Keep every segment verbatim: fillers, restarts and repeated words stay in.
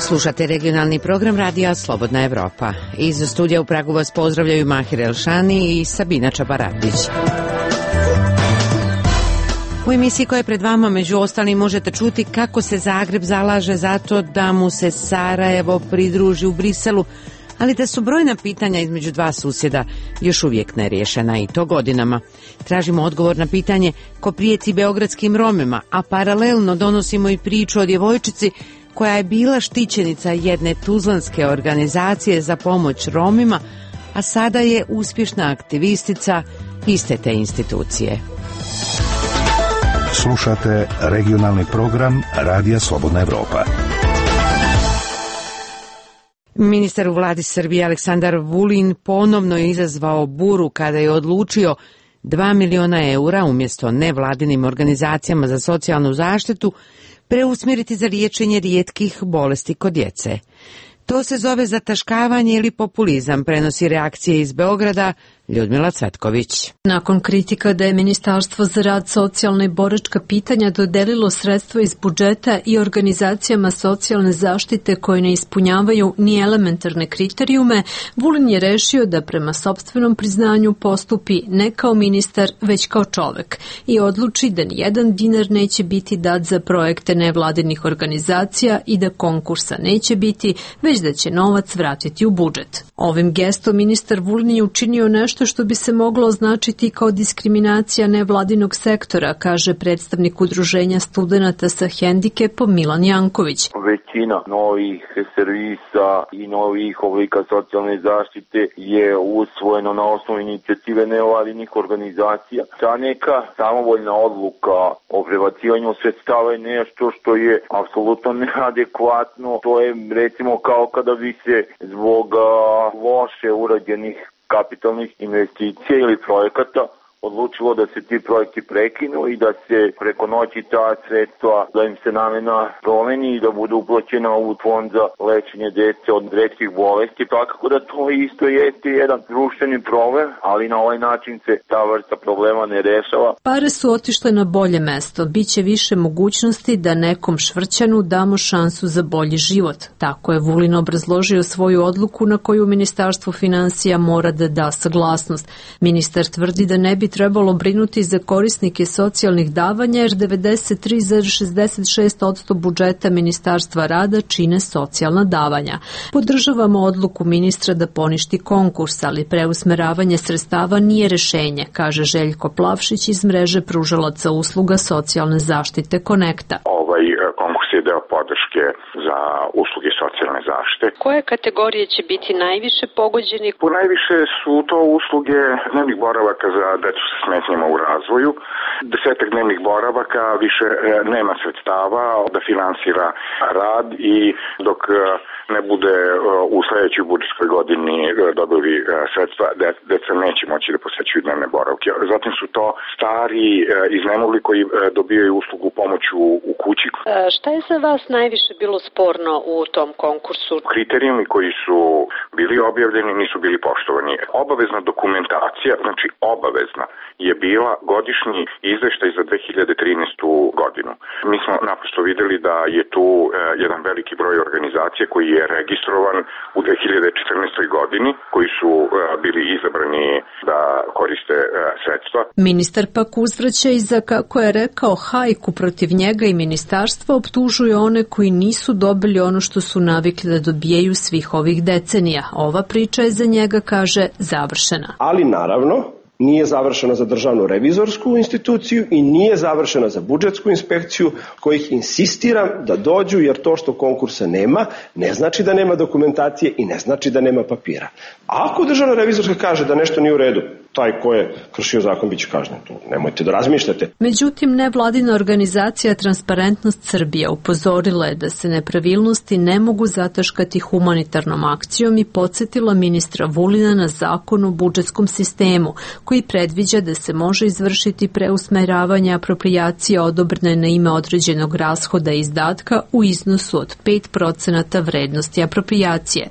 Slušate regionalni program radija Slobodna Evropa. Iz studija u Pragu vas pozdravljaju Mahir Elšani i Sabina Čabaradić. U emisiji koja je pred vama među ostalim možete čuti kako se Zagreb zalaže za to da mu se Sarajevo pridruži u Briselu, ali da su brojna pitanja između dva susjeda još uvijek neriješena i to godinama. Tražimo odgovor na pitanje ko prijeti beogradskim Romima, a paralelno donosimo i priču o djevojčici koja je bila štićenica jedne tuzlanske organizacije za pomoć Romima, a sada je uspješna aktivistica iste te institucije. Slušate regionalni program Radija Slobodna Evropa. Ministar u vladi Srbije Aleksandar Vulin ponovno je izazvao buru kada je odlučio dva miliona eura umjesto nevladinim organizacijama za socijalnu zaštitu preusmjeriti za liječenje rijetkih bolesti kod djece. To se zove zataškavanje ili populizam, prenosi reakcije iz Beograda Ljudmila Cvetković. Nakon kritika da je Ministarstvo za rad, socijalna i boračka pitanja dodelilo sredstva iz budžeta i organizacijama socijalne zaštite koje ne ispunjavaju ni elementarne kriterijume, Vulin je rešio da prema sopstvenom priznanju postupi ne kao ministar, već kao čovek i odluči da nijedan dinar neće biti dat za projekte nevladinih organizacija i da konkursa neće biti, već da će novac vratiti u budžet. Ovim gestom ministar Vulin je učinio nešto što bi se moglo označiti kao diskriminacija nevladinog sektora, kaže predstavnik udruženja studenata sa hendikepom Milan Janković. Većina novih servisa i novih oblika socijalne zaštite je usvojeno na osnovu inicijative nevladinih organizacija. Ta neka samovoljna odluka o prebacivanju sredstava je nešto što je apsolutno neadekvatno. To je recimo kao kada bi se zbog loše urađenih kapitalnih investicija ili projekata odlučilo da se ti projekti prekinu i da se preko noći ta sredstva, da im se namena promeni i da bude uplaćena u fond za lečenje djece od retkih bolesti. Tako da to isto jeste jedan društveni problem, ali na ovaj način se ta vrsta problema ne rešava. Pare su otišle na bolje mesto. Biće više mogućnosti da nekom Švrćanu damo šansu za bolji život. Tako je Vulin obrazložio svoju odluku na koju Ministarstvo finansija mora da da saglasnost. Ministar tvrdi da ne bi trebalo brinuti za korisnike socijalnih davanja jer devedeset tri zarez šezdeset šest posto budžeta Ministarstva rada čine socijalna davanja. Podržavamo odluku ministra da poništi konkurs, ali preusmeravanje sredstava nije rešenje, kaže Željko Plavšić iz mreže pružalaca usluga socijalne zaštite Konekta. Ovaj konkurs je deo podrške za usluge socijalne zaštite. Koje kategorije će biti najviše pogođeni? Po najviše su to usluge dnevnih boravaka za decu sa smetnjama u razvoju. Desetak dnevnih boravaka više nema sredstava da finansira rad i dok ne bude u sljedećoj budžetskoj godini dobili sredstva, deca neće moći da posećuju dnevne boravke. Zatim su to stari iznemogli koji dobijaju uslugu pomoću u kući. Šta je za vas najviše bilo sporno u tom konkursu? Kriterijumi koji su bili objavljeni nisu bili poštovani. Obavezna dokumentacija, znači obavezna, je bila godišnji izveštaj za dve hiljade trinaestu godinu. Mi smo naprosto vidjeli da je tu jedan veliki broj organizacija koji je registrovan u dve hiljade četrnaestoj godini, koji su bili izabrani da koriste sredstva. Ministar pak uzvraća i za, kako je rekao, hajku protiv njega i ministarstva, optužuje one koji nisu dobili ono što su navikli da dobijaju svih ovih decenija. Ova priča je za njega, kaže, završena. Ali naravno, nije završena za državnu revizorsku instituciju i nije završena za budžetsku inspekciju, kojih insistiram da dođu, jer to što konkursa nema ne znači da nema dokumentacije i ne znači da nema papira. A ako državna revizorska kaže da nešto nije u redu, taj ko je kršio zakon biće kažnjen. To nemojte da razmišljate. Međutim, nevladina organizacija Transparentnost Srbija upozorila je da se nepravilnosti ne mogu zataškati humanitarnom akcijom i podsjetila ministra Vulina na zakon o budžetskom sistemu, koji predviđa da se može izvršiti preusmeravanje aproprijacija odobrene na ime određenog rashoda i izdatka u iznosu od pet procenata vrednosti aproprijacije.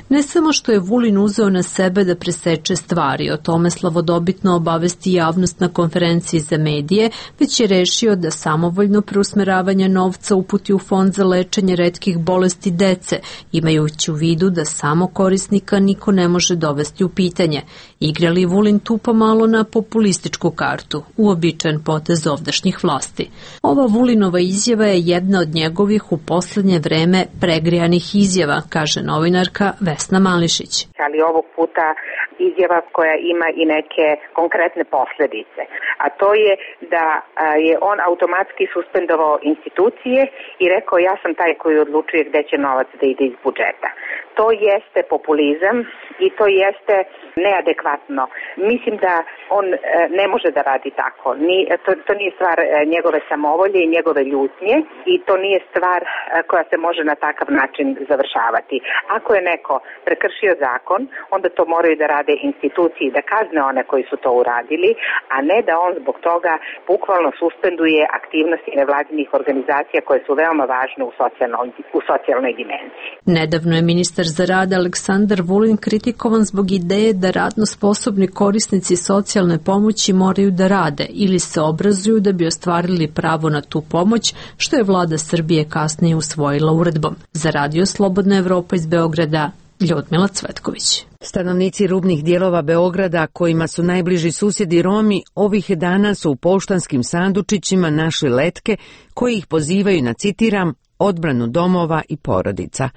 Ne samo što je Vulin uzeo na sebe da preseče stvari, o tome Slobodan slavodobitno obavesti javnost na konferenciji za medije, već je rešio da samovoljno preusmeravanje novca uputi u fond za lečenje retkih bolesti dece, imajući u vidu da samo korisnika niko ne može dovesti u pitanje. Igra li Vulin tu pomalo na populističku kartu, uobičajen potez ovdašnjih vlasti? Ova Vulinova izjava je jedna od njegovih u poslednje vreme pregrijanih izjava, kaže novinarka Vesna Mališić. Ali ovog puta izjava koja ima i neke konkretne posledice, a to je da je on automatski suspendovao institucije i rekao ja sam taj koji odlučuje gde će novac da ide iz budžeta. To jeste populizam i to jeste neadekvatno. Mislim da on ne može da radi tako. Ni, to, to nije stvar njegove samovolje i njegove ljutnje i to nije stvar koja se može na takav način završavati. Ako je neko prekršio zakon, onda to moraju da rade institucije, da kazne one koji su to uradili, a ne da on zbog toga bukvalno suspenduje aktivnosti nevladinih organizacija koje su veoma važne u socijalnoj, u socijalnoj dimenziji. Nedavno je ministar za rad Aleksandar Vulin kritikovan zbog ideje da radno sposobni korisnici socijalne pomoći moraju da rade ili se obrazuju da bi ostvarili pravo na tu pomoć, što je vlada Srbije kasnije usvojila uredbom. Za Radio Slobodna Evropa iz Beograda, Ljudmila Cvetković. Stanovnici rubnih dijelova Beograda, kojima su najbliži susjedi Romi, ovih dana su u poštanskim sandučićima našli letke koji ih pozivaju na, citiram, odbranu domova i porodica.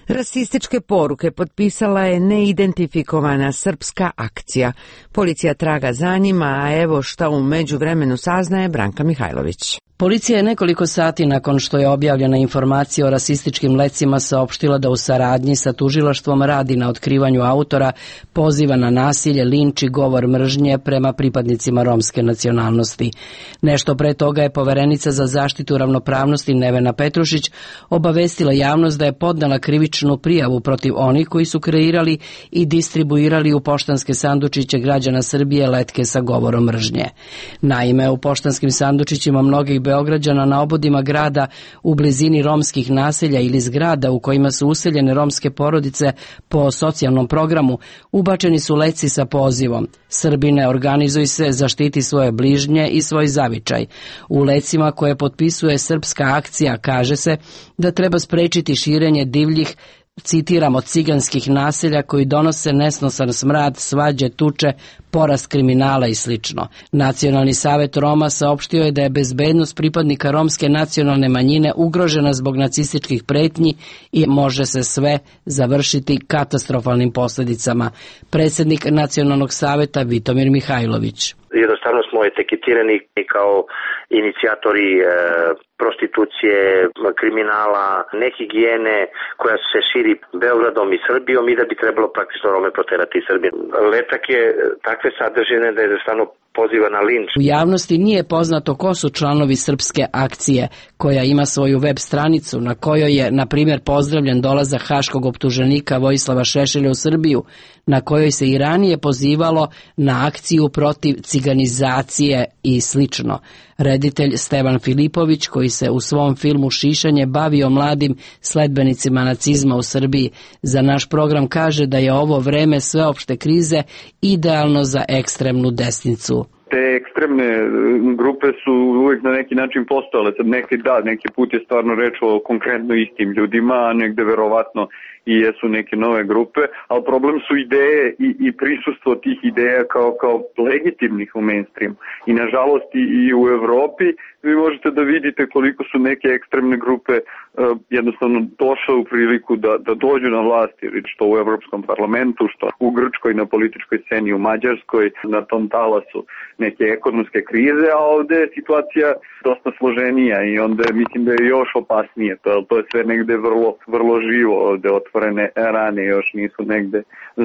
Rasističke poruke potpisala je neidentifikovana srpska akcija. Policija traga za njima, a evo šta u međuvremenu saznaje Branka Mihajlović. Policija je nekoliko sati nakon što je objavljena informacija o rasističkim lecima saopštila da u saradnji sa tužilaštvom radi na otkrivanju autora poziva na nasilje, linč i govor mržnje prema pripadnicima romske nacionalnosti. Nešto pre toga je poverenica za zaštitu ravnopravnosti Nevena Petrušić obavestila javnost da je podnela krivičnu prijavu protiv onih koji su kreirali i distribuirali u poštanske sandučiće građana Srbije letke sa govorom mržnje. Naime, u poštanskim sandučićima mnogih Beograđana na obodima grada u blizini romskih naselja ili zgrada u kojima su useljene romske porodice po socijalnom programu ubačeni su letci sa pozivom Srbine, organizuj se, zaštiti svoje bližnje i svoj zavičaj. U lecima koje potpisuje srpska akcija kaže se da treba sprečiti širenje divljih, citiramo, ciganskih naselja koji donose nesnosan smrad, svađe, tuče, porast kriminala i slično. Nacionalni savet Roma saopštio je da je bezbednost pripadnika romske nacionalne manjine ugrožena zbog nacističkih pretnji i može se sve završiti katastrofalnim posljedicama. Predsjednik Nacionalnog saveta Vitomir Mihajlović. Jednostavno smo etiketirani kao inicijatori e, prostitucije, kriminala, nehigijene koja se širi Beogradom i Srbijom i da bi trebalo praktično Rome proterati iz Srbije. Letak je takve sadržine da je jednostavno poziva na linč. U javnosti nije poznato ko su članovi srpske akcije, koja ima svoju web stranicu na kojoj je, na primjer, pozdravljen dolazak haškog optuženika Vojislava Šešelja u Srbiju, na kojoj se i ranije pozivalo na akciju protiv ciganizacije i slično. Reditelj Stevan Filipović, koji se u svom filmu Šišanje bavio mladim sledbenicima nacizma u Srbiji, za naš program kaže da je ovo vreme sveopšte krize idealno za ekstremnu desnicu. Te ekstremne grupe su uvek na neki način postojale. Sad neki da, neki put je stvarno reč o konkretno istim ljudima, a negde verovatno i jesu neke nove grupe, ali problem su ideje i, i prisustvo tih ideja kao, kao legitimnih u mainstreamu. I nažalost i, i u Evropi vi možete da vidite koliko su neke ekstremne grupe uh, jednostavno došle u priliku da, da dođu na vlast, što u Evropskom parlamentu, što u Grčkoj na političkoj sceni, u Mađarskoj, na tom talasu neke ekonomske krize, a ovde je situacija dosta složenija i onda mislim da je još opasnije. To, to je sve negde vrlo, vrlo živo, ovde otvorene rane još nisu negde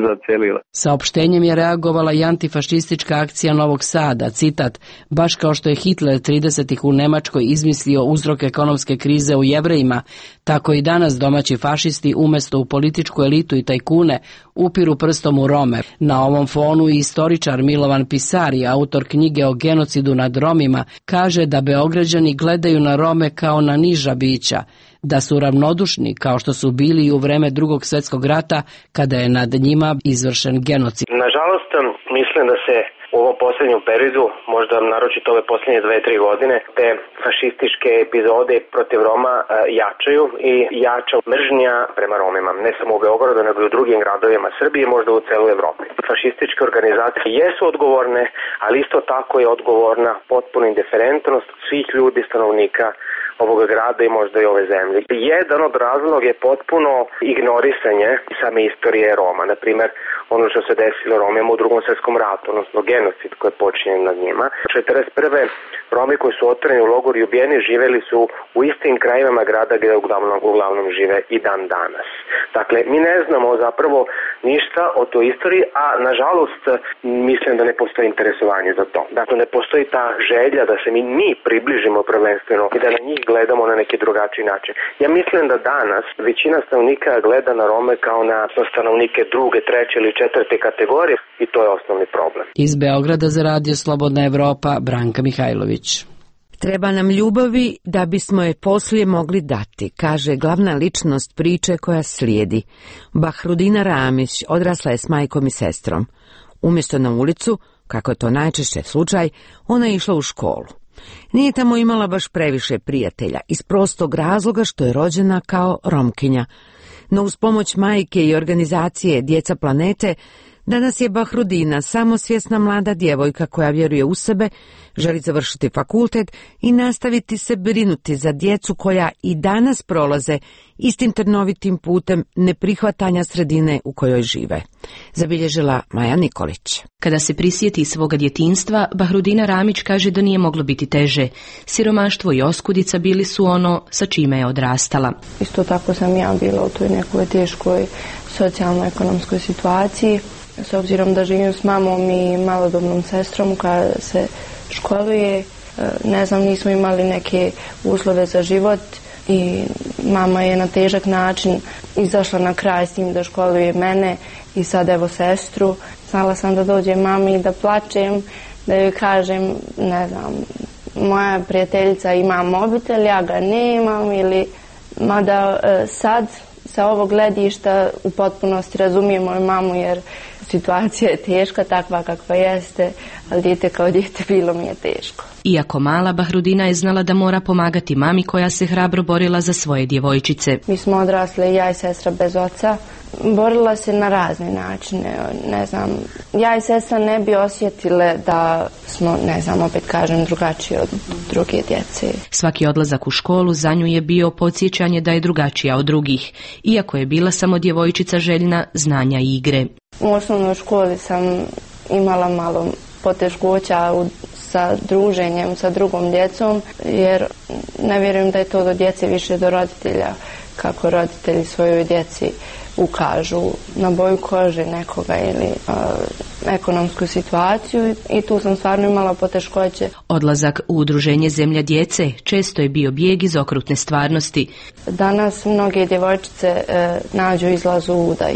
zacelile. Saopštenjem je reagovala i antifašistička akcija Novog Sada, citat, baš kao što je Hitler tridesetih u Nemačkoj izmislio uzrok ekonomske krize u Jevrejima, tako i danas domaći fašisti umesto u političku elitu i tajkune upiru prstom u Rome. Na ovom fonu i istoričar Milovan Pisari, autor knjige o genocidu nad Romima, kaže da Beograđani gledaju na Rome kao na niža bića, da su ravnodušni kao što su bili i u vreme Drugog svjetskog rata kada je nad njima izvršen genocid. Nažalost, mislim da se u ovom posljednjem periodu, možda naročito ove posljednje dve, tri godine, te fašističke epizode protiv Roma uh, jačaju i jača mržnja prema Romima, ne samo u Beogradu, nego i u drugim gradovima Srbije, možda u celoj Evropi. Fašističke organizacije jesu odgovorne, ali isto tako je odgovorna potpuna indiferentnost svih ljudi, stanovnika ovoga grada i možda i ove zemlje. Jedan od razloga je potpuno ignorisanje same istorije Roma. Na primjer, ono što se desilo Romima u drugom svjetskom ratu, odnosno genocid koji je počinjen nad njima. četrdeset prve Romi koji su otvoreni u logoru i ubijeni živeli su u istim krajevima grada gdje uglavnom, uglavnom žive i dan danas. Dakle, mi ne znamo zapravo ništa o toj istoriji, a nažalost mislim da ne postoji interesovanje za to. Dakle, ne postoji ta želja da se mi, mi približimo prvenstveno i da na njih gledamo na neki drugačiji način. Ja mislim da danas većina stanovnika gleda na Rome kao na stanovnike druge, treće ili četvrte kategorije i to je osnovni problem. Iz Beograda za Radio Slobodna Evropa, Branka Mihajlović. Treba nam ljubavi da bismo je poslije mogli dati, kaže glavna ličnost priče koja slijedi. Bahrudina Ramić odrasla je s majkom i sestrom. Umjesto na ulicu, kako je to najčešće slučaj, ona je išla u školu. Nije tamo imala baš previše prijatelja, iz prostog razloga što je rođena kao Romkinja. No uz pomoć majke i organizacije Djeca planete, danas je Bahrudina samosvjesna mlada djevojka koja vjeruje u sebe, želi završiti fakultet i nastaviti se brinuti za djecu koja i danas prolaze istim trnovitim putem neprihvatanja sredine u kojoj žive. Zabilježila Maja Nikolić. Kada se prisjeti svoga djetinjstva, Bahrudina Ramić kaže da nije moglo biti teže. Siromaštvo i oskudica bili su ono sa čime je odrastala. Isto tako sam ja bila u toj nekoj teškoj socijalno-ekonomskoj situaciji. S obzirom da živim s mamom i malodobnom sestrom koja se školuje, ne znam, nismo imali neke uslove za život i mama je na težak način izašla na kraj s tim da školuje mene i sad evo sestru. Znala sam da dođem mami i da plačem, da joj kažem, ne znam, moja prijateljica ima mobitel, ja ga nemam, ili mada sad sa ovog gledišta u potpunosti razumijem moju mamu jer situacija je teška, takva kakva jeste, ali dijete kao dijete bilo mi je teško. Iako mala, Bahrudina je znala da mora pomagati mami koja se hrabro borila za svoje djevojčice. Mi smo odrasle, ja i sestra bez oca, borila se na razne načine, ne znam, ja i sestra ne bi osjetile da smo, ne znam, opet kažem, drugačiji od druge djece. Svaki odlazak u školu za nju je bio podsjećanje da je drugačija od drugih, iako je bila samo djevojčica željna znanja i igre. U osnovnoj školi sam imala malo poteškoća u, sa druženjem sa drugom djecom, jer ne vjerujem da je to do djece više do roditelja, kako roditelji svojoj djeci ukažu na boju kože nekoga ili uh, ekonomsku situaciju i tu sam stvarno imala poteškoće. Odlazak u udruženje Zemlja djece često je bio bijeg iz okrutne stvarnosti. Danas mnoge djevojčice uh, nađu izlaz u udaj.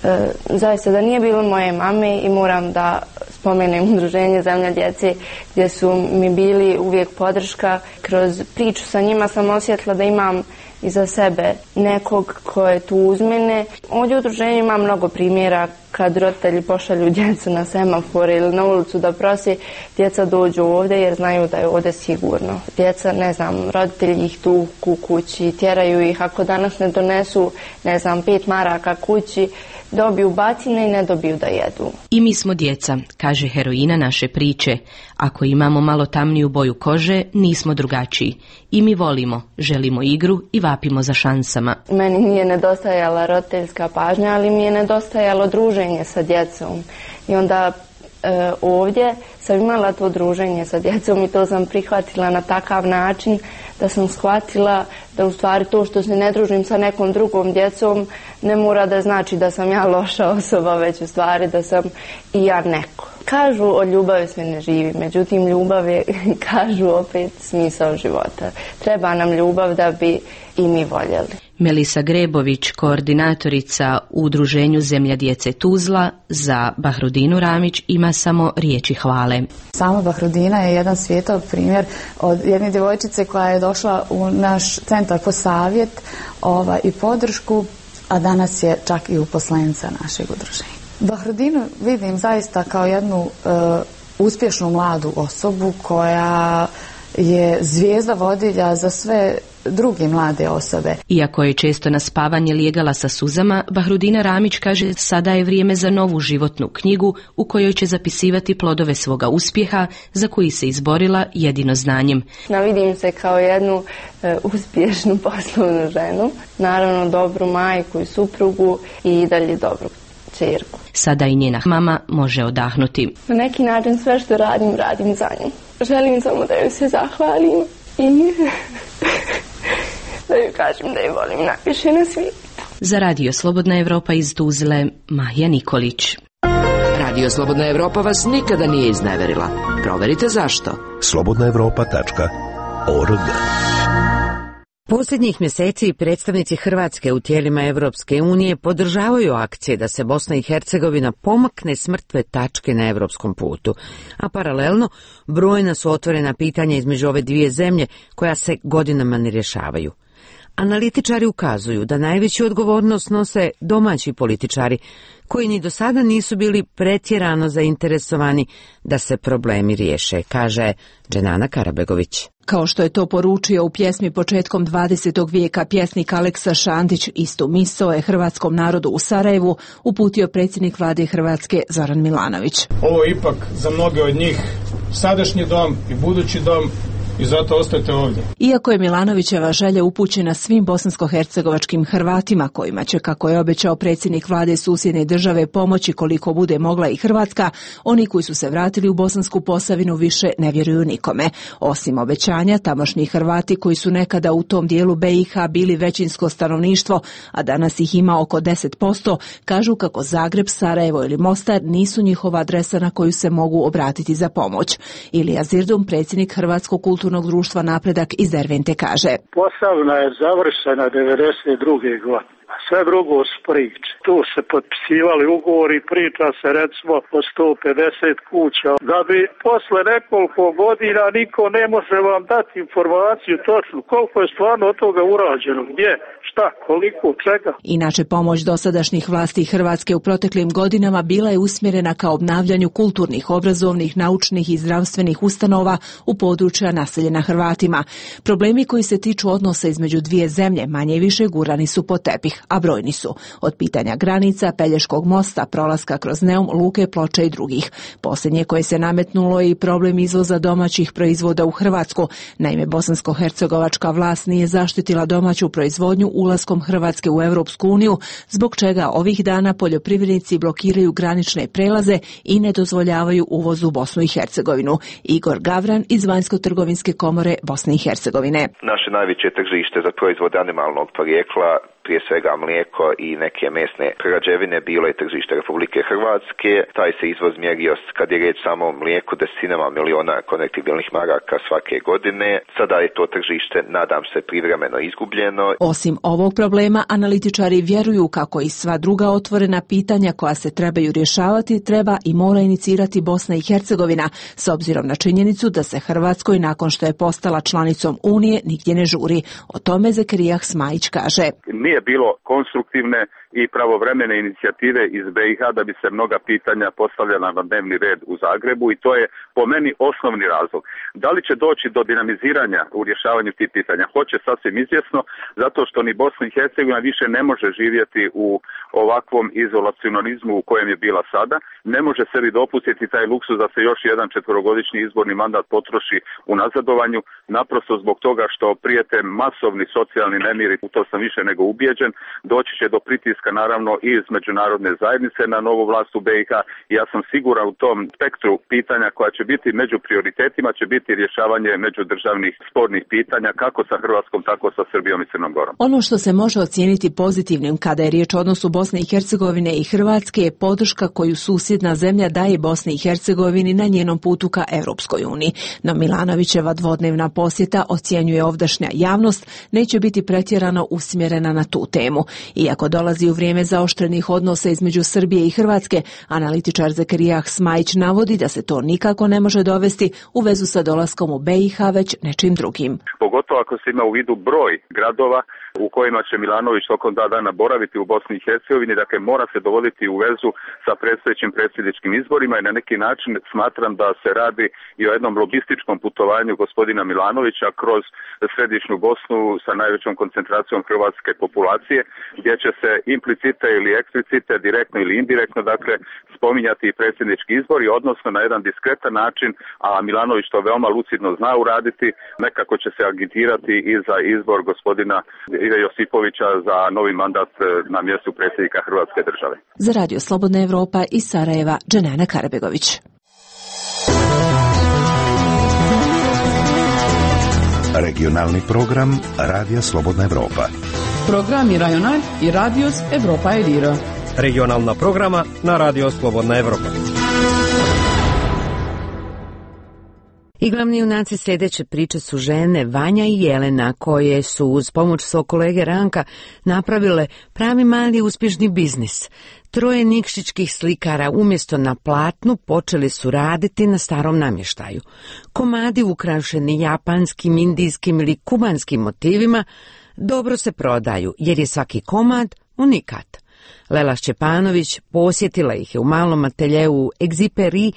E, zaista da nije bilo moje mame i moram da spomenem udruženje Zemlja djece gdje su mi bili uvijek podrška. Kroz priču sa njima sam osjetila da imam iza sebe nekog ko je tu uz mene. Ovdje u udruženju ima mnogo primjera kad roditelji pošalju djecu na semafore ili na ulicu da prosi, djeca dođu ovdje jer znaju da je ovdje sigurno. Djeca, ne znam, roditelji ih tuku u kući, tjeraju ih, ako danas ne donesu, ne znam, pet maraka kući, dobiju bacine i ne dobiju da jedu. I mi smo djeca, kaže heroina naše priče. Ako imamo malo tamniju boju kože, nismo drugačiji. I mi volimo, želimo igru i vapimo za šansama. Meni nije nedostajala roditeljska pažnja, ali mi je nedostajalo druženje sa djecom. I onda e, ovdje sam imala to druženje sa djecom i to sam prihvatila na takav način da sam shvatila da u stvari to što se ne družim sa nekom drugom djecom ne mora da znači da sam ja loša osoba, već u stvari da sam i ja neko. Kažu o ljubavi sve ne živi, međutim ljubav je, kažu opet, smisao života. Treba nam ljubav da bi i mi voljeli. Melisa Grebović, koordinatorica u udruženju Zemlja djece Tuzla, za Bahrudinu Ramić ima samo riječi hvale. Sama Bahrudina je jedan svijetao primjer od jedne djevojčice koja je došla u naš centar po savjet ova, i podršku, a danas je čak i uposlenica našeg udruženja. Bahrudinu vidim zaista kao jednu e, uspješnu mladu osobu koja je zvijezda vodilja za sve druge mlade osobe. Iako je često na spavanje lijegala sa suzama, Bahrudina Ramić kaže sada je vrijeme za novu životnu knjigu u kojoj će zapisivati plodove svoga uspjeha za koji se izborila jedino znanjem. Vidim se kao jednu e, uspješnu poslovnu ženu, naravno dobru majku i suprugu i dalje dobru čerku. Sada i njena mama može odahnuti. Na neki način sve što radim, radim za nju. Želim samo da joj se zahvalim i da joj kažem da je volim najviše na svijetu. Za Radio Slobodna Evropa iz Tuzle, Mahija Nikolić. Radio Slobodna Evropa vas nikada nije izneverila. Proverite zašto. slobodna evropa tačka org. Posljednjih mjeseci predstavnici Hrvatske u tijelima Evropske unije podržavaju akcije da se Bosna i Hercegovina pomakne s mrtve tačke na evropskom putu, a paralelno brojna su otvorena pitanja između ove dvije zemlje koja se godinama ne rješavaju. Analitičari ukazuju da najveću odgovornost nose domaći političari, koji ni do sada nisu bili pretjerano zainteresovani da se problemi riješe, kaže Dženana Karabegović. Kao što je to poručio u pjesmi početkom dvadesetog vijeka pjesnik Aleksa Šantić, istu misao je hrvatskom narodu u Sarajevu uputio predsjednik vlade Hrvatske Zoran Milanović. Ovo je ipak za mnoge od njih sadašnji dom i budući dom, i zato ostajete ovdje. Iako je Milanovićeva želja upućena svim bosansko-hercegovačkim Hrvatima, kojima će, kako je obećao predsjednik vlade susjedne države, pomoći koliko bude mogla i Hrvatska, oni koji su se vratili u Bosansku Posavinu više ne vjeruju nikome. Osim obećanja, tamošnji Hrvati koji su nekada u tom dijelu B i H bili većinsko stanovništvo, a danas ih ima oko deset posto, kažu kako Zagreb, Sarajevo ili Mostar nisu njihova adresa na koju se mogu obratiti za pomoć. Ilija Zirdum, predsjednik Hrvatskog kulturnog društva Napredak iz Dervente, kaže: Posavina je završena devedeset druge godine. Sve drugo su priče. Tu se potpisivali ugovori, priča se recimo o sto pedeset kuća. Da bi posle nekoliko godina niko ne može vam dati informaciju točno koliko je stvarno od toga urađeno, gdje, šta, koliko, čega. Inače, pomoć dosadašnjih vlasti Hrvatske u proteklim godinama bila je usmjerena ka obnavljanju kulturnih, obrazovnih, naučnih i zdravstvenih ustanova u područja naseljena Hrvatima. Problemi koji se tiču odnosa između dvije zemlje manje i više gurani su pod tepih, a brojni su. Od pitanja granica, Pelješkog mosta, prolaska kroz Neum, Luke, Ploče i drugih. Posljednje koje se nametnulo je i problem izvoza domaćih proizvoda u Hrvatsku. Naime, bosansko-hercegovačka vlast nije zaštitila domaću proizvodnju ulaskom Hrvatske u Europsku uniju, zbog čega ovih dana poljoprivrednici blokiraju granične prelaze i ne dozvoljavaju uvoz u Bosnu i Hercegovinu. Igor Gavran iz Vanjsko-trgovinske komore Bosne i Hercegovine. Naše najveće tržište za proizvode animalnog porijekla, prije svega mlijeko i neke mesne prerađevine, bilo je tržište Republike Hrvatske. Taj se izvoz mjerio, kad je riječ samo o mlijeku, desetinama miliona konvertibilnih maraka svake godine. Sada je to tržište, nadam se, privremeno izgubljeno. Osim ovog problema, analitičari vjeruju kako i sva druga otvorena pitanja koja se trebaju rješavati treba i mora inicirati Bosna i Hercegovina, s obzirom na činjenicu da se Hrvatskoj, nakon što je postala članicom Unije, nigdje ne žuri. O tome Zekerijah Smajić kaže: Nije bilo konstruktivne i pravovremene inicijative iz B i H da bi se mnoga pitanja postavljala na dnevni red u Zagrebu i to je po meni osnovni razlog. Da li će doći do dinamiziranja u rješavanju tih pitanja? Hoće, sasvim izvjesno, zato što ni Bosna i Hercegovina više ne može živjeti u ovakvom izolacionalizmu u kojem je bila sada. Ne može sebi dopustiti taj luksuz da se još jedan četverogodišnji izborni mandat potroši u nazadovanju, naprosto zbog toga što prijete masovni socijalni nemiri, u to sam više nego ubijeđen, doći će do pritiska naravno i iz međunarodne zajednice na novu vlast u B i H. Ja sam siguran u tom spektru pitanja koja će biti među prioritetima će biti rješavanje međudržavnih spornih pitanja kako sa Hrvatskom, tako sa Srbijom i Crnom Gorom. Ono što se može ocijeniti pozitivnim kada je riječ o odnosu Bosne i Hercegovine i Hrvatske je podrška koju susjedna zemlja daje Bosni i Hercegovini na njenom putu ka Europskoj uniji. No Milanovićeva dvodnevna posjeta, ocjenjuje ovdašnja javnost, neće biti pretjerano usmjerena na tu temu. Iako dolazi u vrijeme zaoštrenih odnosa između Srbije i Hrvatske, analitičar Zekerijah Smajić navodi da se to nikako ne može dovesti u vezu sa dolaskom u B i H, već nečim drugim. Pogotovo ako se ima u vidu broj gradova u kojima će Milanović tokom dva dana boraviti u Bosni i Hercegovini, dakle mora se dovoditi u vezu sa predstojećim predsjedničkim izborima i na neki način smatram da se radi i o jednom lobističkom putovanju gospodina Milanovića kroz središnju Bosnu sa najvećom koncentracijom hrvatske populacije, gdje će se implicite ili eksplicite, direktno ili indirektno, dakle, spominjati i predsjednički izbori, odnosno na jedan diskretan način, a Milanović to veoma lucidno zna uraditi, nekako će se agitirati i za izbor gospodina Ive Josipovića za novi mandat na mjestu predsjednika Hrvatske države. Za Radio Slobodna Evropa iz Sarajeva, Dženana Karabegović. Regionalni program Radija Slobodna Evropa. Programi Rajonal i Radios Evropa Edira. Regionalna programa na Radio Slobodna Evropa. I glavni junaci sljedeće priče su žene Vanja i Jelena, koje su uz pomoć svog kolege Ranka napravile pravi mali uspješni biznis. Troje nikšićkih slikara umjesto na platnu počeli su raditi na starom namještaju. Komadi ukrašeni japanskim, indijskim ili kubanskim motivima dobro se prodaju, jer je svaki komad unikat. Lela Šćepanović posjetila ih je u malom ateljeu Egziperi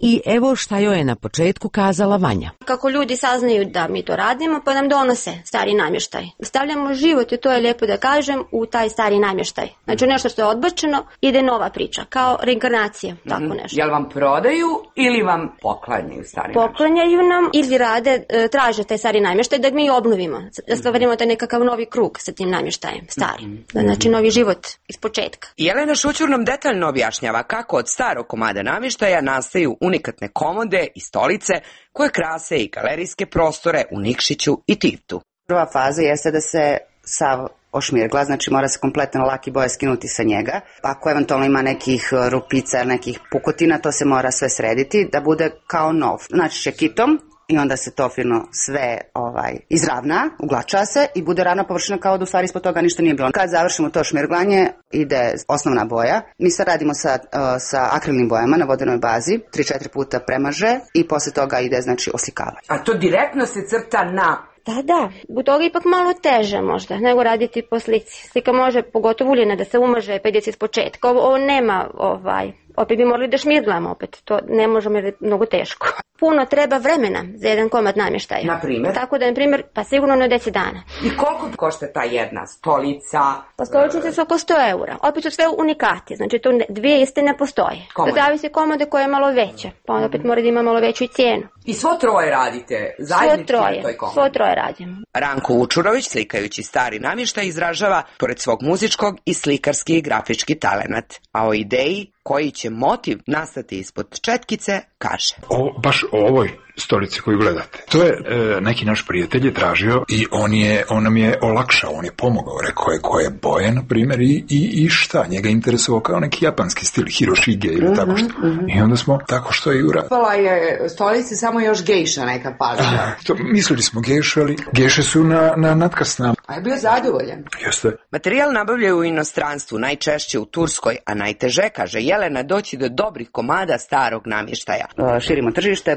i evo šta joj je na početku kazala Vanja. Kako ljudi saznaju da mi to radimo, pa nam donose stari namještaj. Stavljamo život, i to je lijepo da kažem, u taj stari namještaj. Znači nešto što je odbačeno, ide nova priča, kao reinkarnacija, tako nešto. Jel vam prodaju ili vam poklanjaju stari namještaj? Poklanjaju nam ili rade, traže taj stari namještaj da mi obnovimo, da stvarimo taj nekakav novi krug sa tim namještajem, stari. Znači novi život iz početka. Jelena Šućur nam detaljno objašnjava kako od starog komada namještaja nastaju unikatne komode i stolice koje krase i galerijske prostore u Nikšiću i Tivtu. Prva faza jeste da se sav ošmirgla, znači mora se kompletno laki boje skinuti sa njega. Ako eventualno ima nekih rupica, nekih pukotina, to se mora sve srediti da bude kao nov. Znači čekitom i onda se to fino sve ovaj, izravna, uglača se i bude ravna površina kao da u stvari ispod toga ništa nije bilo. Kad završimo to šmirglanje, ide osnovna boja. Mi sad radimo sa, uh, sa akrilnim bojama na vodenoj bazi, tri četiri puta premaže i posle toga ide znači oslikavanje. A to direktno se crta na... Da, da, u toga ipak malo teže možda nego raditi po slici. Slika može, pogotovo uljena, da se umaže pa ide se iz početka. Ovo, ovo nema, ovaj, opet bi morali da šmirglamo opet, to ne možemo jer je mnogo teško. Puno treba vremena za jedan komad namještaja. Na primjer? Tako da, na primjer, pa sigurno na deset dana. I koliko košta ta jedna stolica? Pa stoličnice su oko sto eura. Opet su sve unikati, znači tu dvije iste ne postoje. Komode. To zavisi komode koja je malo veća, pa onda opet mora da ima malo veću i cijenu. I svo troje radite zajednički na toj komodi? Svo troje radimo. Ranko Vučurović, slikajući stari namještaj, izražava, pored svog muzičkog, i slikarski i grafički talenat. A o ideji koji će motiv nastati ispod četkice, kaže. O, baš o ovoj stolici koju gledate. To je e, neki naš prijatelj je tražio i on, je, on nam je olakšao, on je pomogao, rekao je koje boje, na primjer, i, i, i šta. Njega interesovao kao neki japanski stil, Hiroshige ili uh-huh, tako što. Uh-huh. I onda smo tako što i uradili. Pala je stolici samo još gejša neka palila. To, mislili smo gejše, ali gejše su na, na natkasnama. A je bio zadovoljan? Jeste. Materijal nabavljaju u inostranstvu, najčešće u Turskoj, a najteže, kaže Jelena, doći do dobrih komada starog namještaja. Širimo tržište,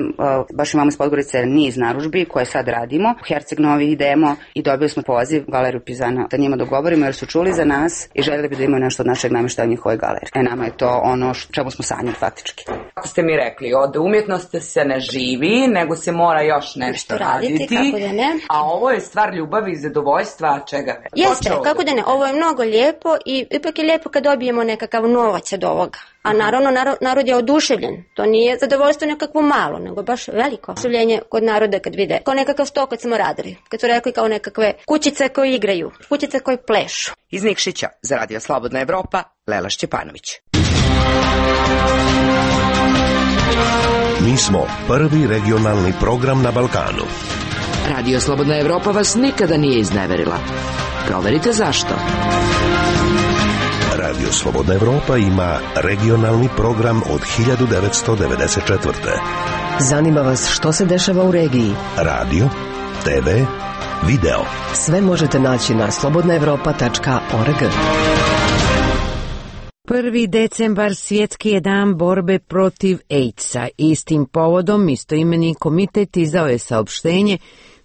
baš imamo iz Podgorice niz narudžbi koje sad radimo. U Herceg Novi idemo i dobili smo poziv Galeriju Pizana da njima dogovorimo jer su čuli za nas i željeli bi da imaju nešto od našeg namještaja u njihovoj galeriji. E nama je to ono čemu smo sanjali faktički. Kako ste mi rekli, od umjetnosti se ne živi, nego se mora još nešto raditi. raditi kako da ne. A ovo je stvar ljubavi i zadovoljstva čega? Jeste, kako da ne. Ovo je mnogo lijepo i ipak je lijepo kad dobijemo nekakav novac od ovoga. A naravno, narod je oduševljen. To nije zadovoljstvo nekakvo malo, nego baš veliko oduševljenje kod naroda kad vide. Kao nekakav sto kad smo radili. Kad su rekli kao nekakve kućice koje igraju, kućice koje plešu. Iz Nikšića za Radio Slobodna Evropa, Lela Šćepanović. Mi smo prvi regionalni program na Balkanu. Radio Slobodna Evropa vas nikada nije izneverila. Proverite zašto. Radio Slobodna Evropa ima regionalni program od hiljadu devetsto devedeset četvrte. Zanima vas što se dešava u regiji? Radio, te ve, video. Sve možete naći na slobodna evropa tačka org. Prvi decembar svjetski je dan borbe protiv AIDS-a. Istim povodom istoimeni komitet izdao je saopštenje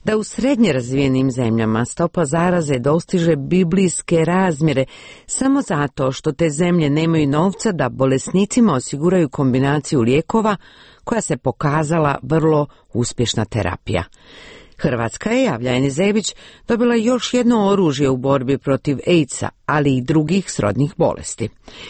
da u srednje razvijenim zemljama stopa zaraze dostiže biblijske razmjere samo zato što te zemlje nemaju novca da bolesnicima osiguraju kombinaciju lijekova koja se pokazala vrlo uspješna terapija. Hrvatska je, javlja Eni Zebić, dobila još jedno oružje u borbi protiv AIDS-a, ali i drugih srodnih bolesti.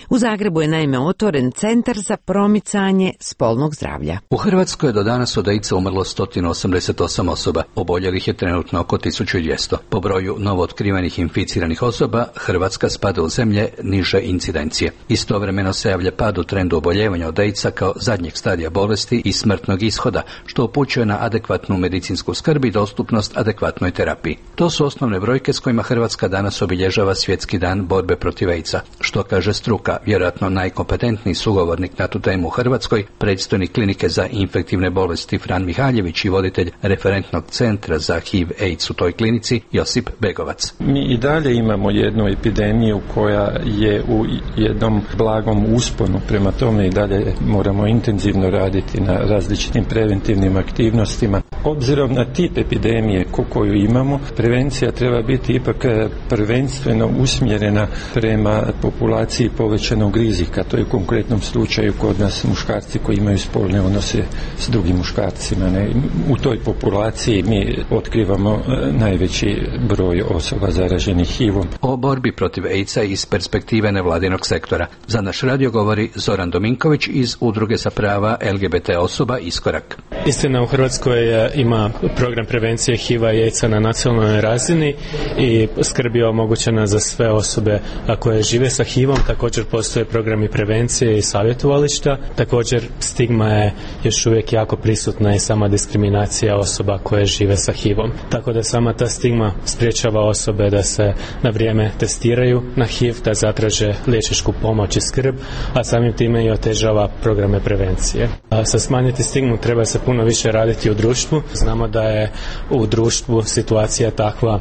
U Zagrebu je naime otvoren centar za promicanje spolnog zdravlja. U Hrvatskoj je do danas od AIDS-a umrlo sto osamdeset osam osoba, oboljelih je trenutno oko tisuću dvjesto. Po broju novootkrivenih inficiranih osoba, Hrvatska spada u zemlje niže incidencije. Istovremeno se javlja pad u trendu oboljevanja od AIDS-a kao zadnjeg stadija bolesti i smrtnog ishoda, što upućuje na adekvatnu medicinsku skrb i dostupnost adekvatnoj terapiji. To su osnovne brojke s kojima Hrvatska danas obilježava svjetski dan borbe protiv AIDS-a. Što kaže struka, vjerojatno najkompetentniji sugovornik na tu temu u Hrvatskoj, predstojnik klinike za infektivne bolesti Fran Mihaljević i voditelj referentnog centra za H I V AIDS u toj klinici Josip Begovac. Mi i dalje imamo jednu epidemiju koja je u jednom blagom usponu, prema tome i dalje moramo intenzivno raditi na različitim preventivnim aktivnostima. Obzirom na tip epidemije koju imamo, prevencija treba biti ipak prvenstveno usmjerena prema populaciji povećanog rizika. To je u konkretnom slučaju kod nas muškarci koji imaju spolne odnose s drugim muškarcima. Ne? U toj populaciji mi otkrivamo najveći broj osoba zaraženih H I V-om. O borbi protiv AIDS-a iz perspektive nevladinog sektora. Za naš radio govori Zoran Dominković iz Udruge za prava L G B T osoba Iskorak. Istina, u Hrvatskoj ima program prevencije H I V-a i AIDS-a na nacionalnoj razini i skrb je omogućena za sve osobe koje žive sa H I V-om. Također postoje programi prevencije i savjetovališta. Također stigma je još uvijek jako prisutna i sama diskriminacija osoba koje žive sa H I V-om. Tako da sama ta stigma sprječava osobe da se na vrijeme testiraju na H I V, da zatraže liječničku pomoć i skrb, a samim time i otežava programe prevencije. A sa smanjiti stigmu treba se puno više raditi u društvu. Znamo da je u društvu situacija takva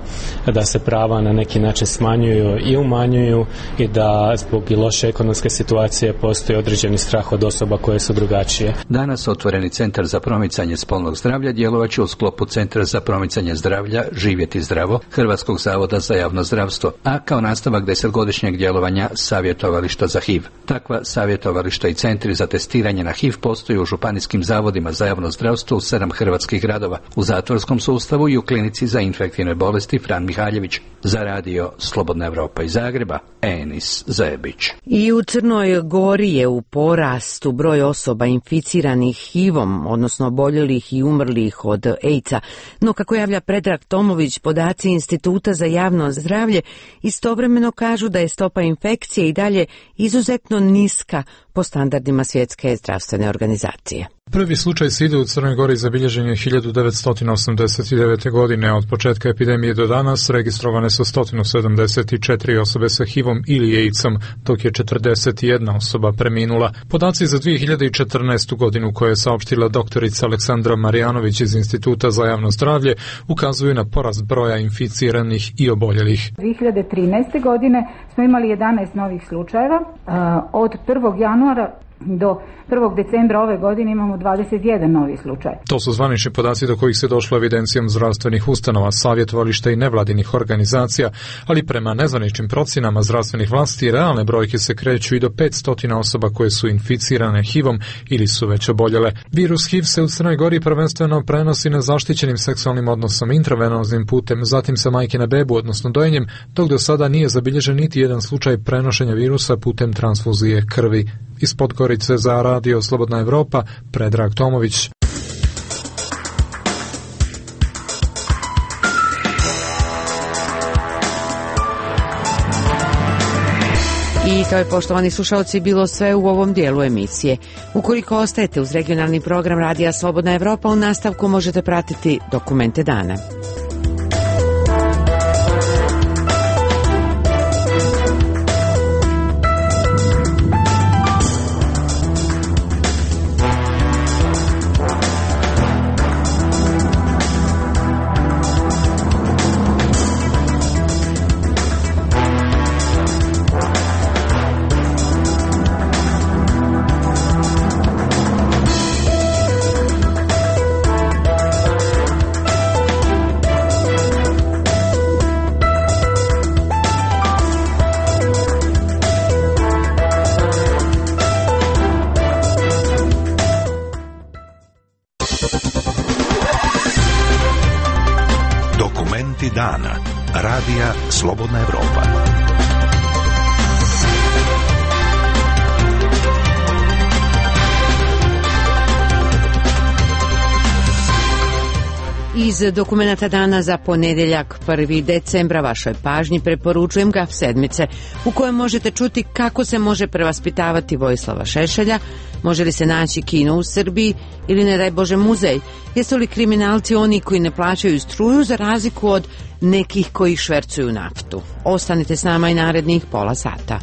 da se prava na neki način smanjuju i umanjuju i da zbog i loše ekonomske situacije postoji određeni strah od osoba koje su drugačije. Danas otvoreni centar za promicanje spolnog zdravlja djelovaće u sklopu Centra za promicanje zdravlja Živjeti zdravo Hrvatskog zavoda za javno zdravstvo, a kao nastavak desetgodišnjeg djelovanja savjetovališta za H I V. Takva savjetovališta i centri za testiranje na H I V postoji u županijskim zavodima za javno zdravstvo u sedam hrvatskih gradova, u zatvorskom sustavu i u klinici za infektivne bolesti Fran Mihaljević. Za radio Slobodna Evropa iz Zagreba, Enis Zebić. I u Crnoj Gori je u porastu broj osoba inficiranih H I V-om, odnosno oboljelih i umrlih od AIDS-a. No, kako javlja Predrag Tomović, podaci Instituta za javno zdravlje istovremeno kažu da je stopa infekcije i dalje izuzetno niska po standardima Svjetske zdravstvene organizacije. Prvi slučaj side u Crnoj Gori zabilježen je hiljadu devetsto osamdeset devete. godine. Od početka epidemije do danas registrovane su sto sedamdeset četiri osobe sa H I V-om ili AIDS-om, dok je četrdeset jedna osoba preminula. Podaci za dvije hiljade četrnaestu. godinu koje je saopštila doktorica Aleksandra Marijanović iz Instituta za javno zdravlje ukazuju na porast broja inficiranih i oboljelih. dvije hiljade trinaeste. godine smo imali jedanaest novih slučajeva. Od prvog januara do prvog decembra ove godine imamo dvadeset jedan novi slučaj. To su zvanični podaci do kojih se došlo evidencijom zdravstvenih ustanova, savjetovališta i nevladinih organizacija, ali prema nezvaničnim procjenama zdravstvenih vlasti realne brojke se kreću i do petsto osoba koje su inficirane H I V-om ili su već oboljele. Virus H I V se u Crnoj Gori prvenstveno prenosi nezaštićenim seksualnim odnosom, intravenoznim putem, zatim sa majke na bebu, odnosno dojenjem, dok do sada nije zabilježen niti jedan slučaj prenošenja virusa putem transfuzije krvi. Iz Podgorice za radio Slobodna Evropa, Predrag Tomović. I to je, poštovani slušalci, bilo sve u ovom dijelu emisije. Ukoliko ostajete uz regionalni program Radija Slobodna Evropa, u nastavku možete pratiti dokumente dana. Talenti dana. Radija Slobodna Evropa. Iz dokumenta dana za ponedeljak prvog decembra vašoj pažnji preporučujem Gaf sedmice, u kojem možete čuti kako se može prevaspitavati Vojislava Šešelja, može li se naći kino u Srbiji ili ne daj Bože muzej, jesu li kriminalci oni koji ne plaćaju struju za razliku od nekih koji švercuju naftu. Ostanite s nama i narednih pola sata.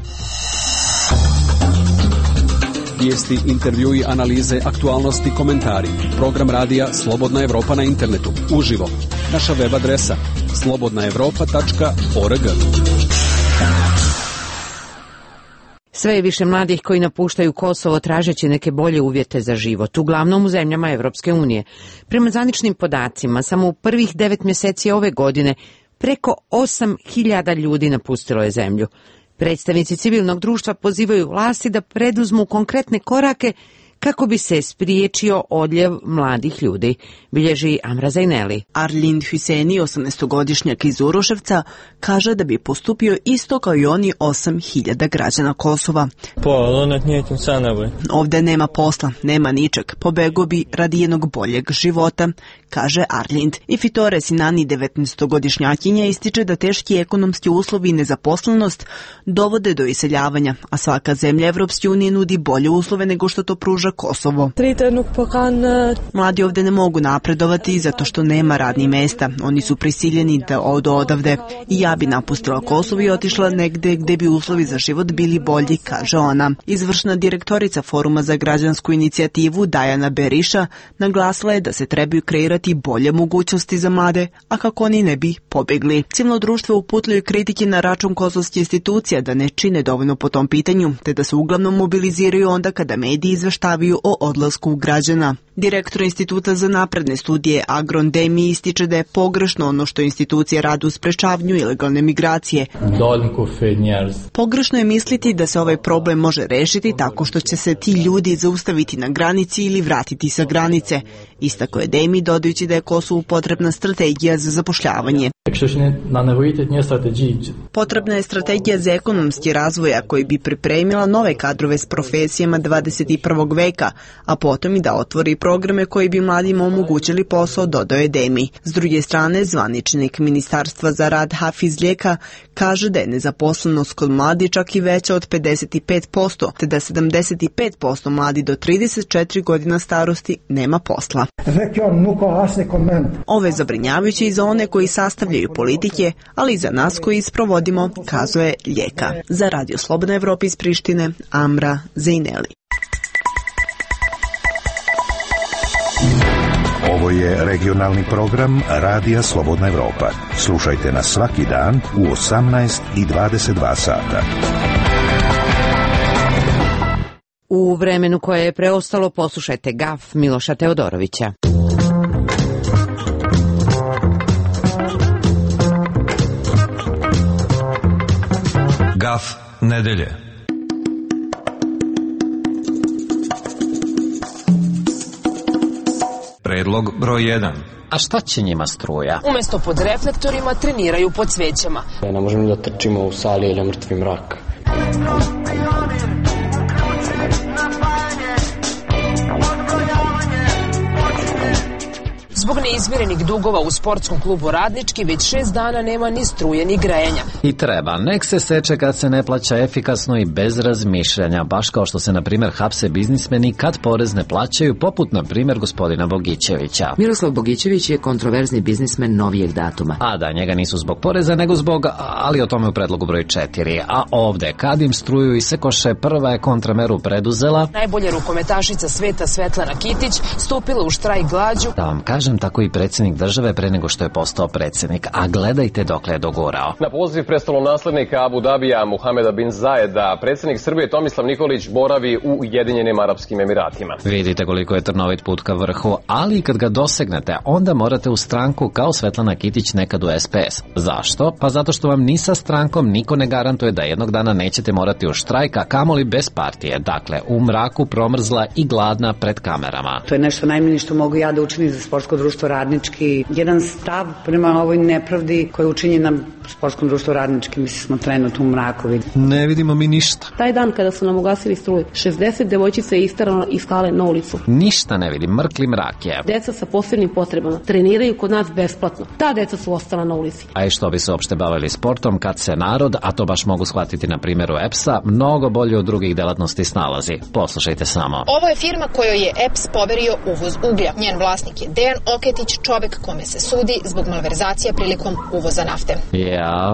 Vijesti, intervjui, analize, aktualnosti, komentari. Program radija Slobodna Evropa na internetu. Uživo. Naša web adresa slobodna evropa tačka org. Sve je više mladih koji napuštaju Kosovo tražeći neke bolje uvjete za život, uglavnom u zemljama Evropske unije. Prema zvaničnim podacima, samo u prvih devet mjeseci ove godine preko osam hiljada ljudi napustilo je zemlju. Predstavnici civilnog društva pozivaju vlasti da preduzmu konkretne korake kako bi se spriječio odljev mladih ljudi, bilježi Amra Zajneli. Arlind Hüseni, osamnaestogodišnjak iz Uroševca, kaže da bi postupio isto kao i oni osam hiljada građana Kosova. Ovde nema posla, nema ničeg, pobego bi radi jednog boljeg života, kaže Arlind. I Fitore Sinani, devetnaestogodišnjakinja, ističe da teški ekonomski uslovi i nezaposlenost dovode do iseljavanja, a svaka zemlja Evropske unije nudi bolje uslove nego što to pruža Kosovo. Mladi ovde ne mogu napredovati zato što nema radnih mesta. Oni su prisiljeni da odu odavde. I ja bi napustila Kosovo i otišla negde gde bi uslovi za život bili bolji, kaže ona. Izvršna direktorica Foruma za građansku inicijativu Dajana Beriša naglasila je da se trebaju kreirati bolje mogućnosti za mlade, a kako oni ne bi pobegli. Civilno društvo uputilo kritike na račun kosovskih institucija da ne čine dovoljno po tom pitanju, te da se uglavnom mobiliziraju onda kada mediji izveštavaju o odlasku građana. Direktor Instituta za napredne studije Agron Demi ističe da je pogrešno ono što institucije rade u sprečavanju ilegalne migracije. Pogrešno je misliti da se ovaj problem može rešiti tako što će se ti ljudi zaustaviti na granici ili vratiti sa granice. Istako je Demi, dodajući da je Kosovu potrebna strategija za zapošljavanje. Potrebna je strategija za ekonomski razvoj koji bi pripremila nove kadrove s profesijama dvadeset prvog veka, a potom i da otvori programe koji bi mladima omogućili posao, dodao je Demi. S druge strane, zvaničnik Ministarstva za rad Hafiz Ljeka kaže da je nezaposlenost kod mladi čak i veća od pedeset pet posto, te da sedamdeset pet posto mladi do trideset četiri godina starosti nema posla. Ovo je zabrinjavajuće i za one koji sastavljaju politike, ali i za nas koji isprovodimo, kazuje Ljeka. Za Radio Slobodna Evropa iz Prištine, Amra Zajneli. Ovo je regionalni program Radija Slobodna Evropa. Slušajte nas svaki dan u osamnaest i dvadeset dva sata. U vremenu koje je preostalo poslušajte Gaf Miloša Teodorovića. Gaf nedelje. Predlog broj jedan. A šta će njima struja? Umesto pod reflektorima treniraju pod svećama. Ne možemo da trčimo u sali ili mrtvi mrak. Zbog neizmirenih dugova u sportskom klubu Radnički već šest dana nema ni struje ni grejanja. I treba, nek se seče kad se ne plaća efikasno i bez razmišljanja, baš kao što se na primjer hapse biznismeni kad porez ne plaćaju, poput na primjer gospodina Bogićevića. Miroslav Bogićević je kontroverzni biznismen novijeg datuma. A da, njega nisu zbog poreza nego zbog, ali o tome u predlogu broj četiri. A ovde, kad im struju i sekoše, prva je kontrameru preduzela. Najbolja rukometašica sveta Svetlana Kitić stupila u štrajk glađu. Da vam kažem, tako i predsjednik države pre nego što je postao predsjednik, a gledajte dokle je dogurao. Na poziv prestolonaslednika Abu Dabija Muhameda bin Zajeda, predsjednik Srbije Tomislav Nikolić boravi u Ujedinjenim Arapskim Emiratima. Vidite koliko je trnovit put ka vrhu, ali kad ga dosegnete, onda morate u stranku kao Svetlana Kitić nekad u S P S. Zašto? Pa zato što vam ni sa strankom niko ne garantuje da jednog dana nećete morati u štrajk, a kamoli bez partije. Dakle, u mraku, promrzla i gladna pred kamerama. To je nešto najmanje što mogu ja da učinim za sportsko društvo Radnički jedan stav prema ovoj nepravdi koja je učinjena sportskom društvu Radnički. Mislim smo trenutno u mraku. Ne vidimo mi ništa. Taj dan kada su nam ugasili struju, šezdeset devojčica je isterano iz skale na ulicu. Ništa ne vidim, mrkli mrak je. Deca sa posebnim potrebama treniraju kod nas besplatno. Ta deca su ostala na ulici. A i što bi se uopšte bavili sportom kad se narod, a to baš mogu shvatiti na primjeru E P S-a, mnogo bolje od drugih delatnosti snalazi. Poslušajte samo. Ovo je firma kojoj je E P S poverio uvoz uglja. Njen vlasnik je Dejan Oketić, čovek kome se sudi zbog malverzacija prilikom uvoza nafte. Ja...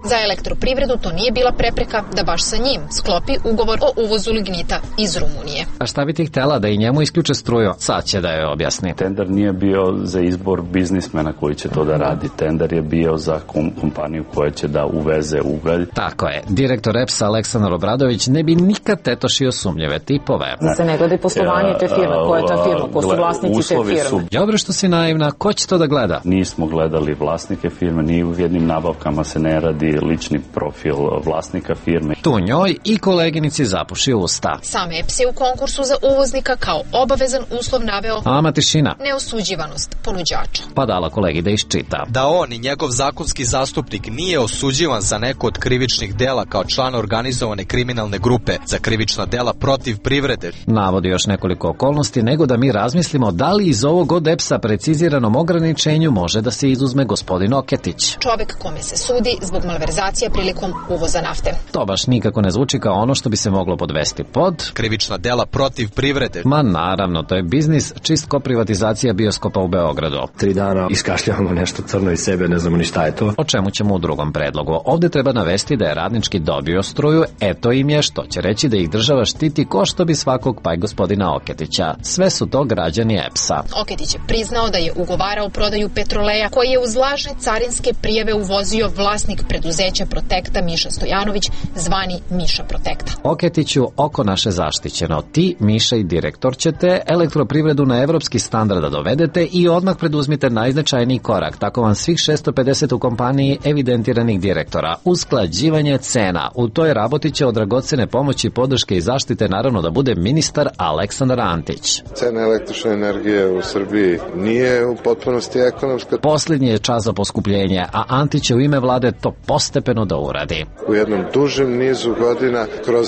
Za elektroprivredu to nije bila prepreka da baš sa njim sklopi ugovor o uvozu lignita iz Rumunije. A šta bi ti htjela, da i njemu isključe struju? Sad će da joj objasni. Tender nije bio za izbor biznismena koji će to da radi. Tender je bio za kompaniju koja će da uveze ugalj. Tako je. Direktor E P S-a Aleksandar Obradović ne bi nikad tetošio sumnjive tipove. Da se ne gleda poslovanje te firme. Koja je ta firma? Ko su vlasnici te firme? Su... Dobro što si naivna. Ko će to da gleda? Nismo gledali vlasnike firme. Ni u jednim nabavkama se ne radi lični profil vlasnika firme. Tu njoj i koleginici zapuši usta. Sam E P S je u konkursu za uvoznika kao obavezan uslov naveo Ama tišina. Neosuđivanost ponuđača. Pa dala kolegi da iščita. Da on i njegov zakonski zastupnik nije osuđivan za neko od krivičnih dela kao član organizovane kriminalne grupe za krivična dela protiv privrede. Navodi još nekoliko okolnosti, nego da mi razmislimo da li iz ovog od E P S-a preciziranom ograničenju može da se izuzme gospodin Oketić. Čovek kome se sudi zbog malverzacija prilikom uvoza nafte. To baš nikako ne zvuči kao ono što bi se moglo podvesti pod krivična dela protiv privrede. Ma naravno, to je biznis, čist ko privatizacija bioskopa u Beogradu. Tri dana iskašljavamo nešto crno iz sebe, ne znamo ni šta je to. O čemu ćemo u drugom predlogu. Ovdje treba navesti da je Radnički dobio struju, eto im je, što će reći da ih država štiti ko što bi svakog, pa i gospodina Oketića. Sve su to građani E P S-a. Oketić je priznao da je ugovarao prodaju petroleja koji je uz lažne carinske prijave uvozio vlasnik preduzeća Protekta Miša Stojanović, zvani Miša Protekta. Oketiću, oko naše zaštićeno. Ti, Miša i direktor, ćete elektroprivredu na evropski standard da dovedete i odmah preduzmite najznačajniji korak. Tako vam svih šesto pedeset u kompaniji evidentiranih direktora. Usklađivanje cena. U toj raboti će od dragocene pomoći, podrške i zaštite naravno da bude ministar Aleksandar Antić. Cena električne energije u Srbiji nije u potpunosti ekonomska. Posljednji je čas za poskupljenje, a Antić će u ime vlade to postepeno da uradi. U jednom dužem nizu godina kroz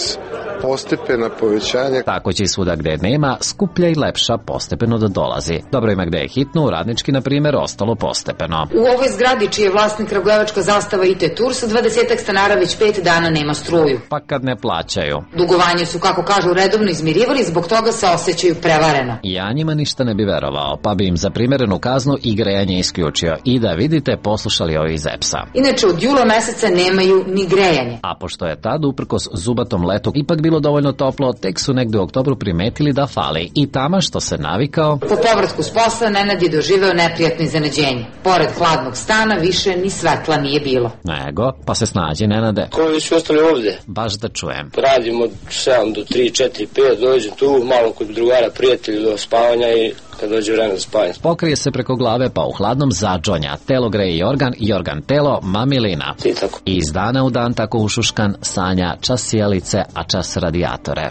postepena povećanja. Tako će i svuda gde nema, skuplja i lepša postepeno da dolazi. Dobro ima gde je hitno, u Radnički, na primjer, ostalo postepeno. U ovoj zgradi, čiji je vlasnik kragujevačka zastava I T Tour, sa dvadesetak stanara već pet dana nema struju. Pa kad ne plaćaju. Dugovanje su, kako kažu, redovno izmirivali, zbog toga se osjećaju prevareno. Ja njima ništa ne bi verovao, pa bi im za primjerenu kaznu i grejanje isključio. I da vidite, poslušali ovi iz E P S-a. Inače, od jula meseca nemaju ni grejanje. A pošto je tad, uprkos zubatom letu, ipak bilo dovoljno toplo, tek su negde u oktobru primetili da fali. I tama što se navikao... Po povratku s posla, Nenad je doživeo neprijatno iznenađenje. Pored hladnog stana, više ni svetla nije bilo. Nego, pa se snađi, Nenade. Ko vi su ostali ovde? Baš da čujem. Radim od sedam do tri, četiri, pet, dođem tu, malo kod drugara, prijatelji do spavanja i kad dođe vreme za spavanje. Pokrije se preko glave, pa u hladnom zadžonja. Telo greje i organ, i organ telo, mamilina. I tako. I iz dana u dan tako ušuškan, sanja čas sjelice, a čas radijatore.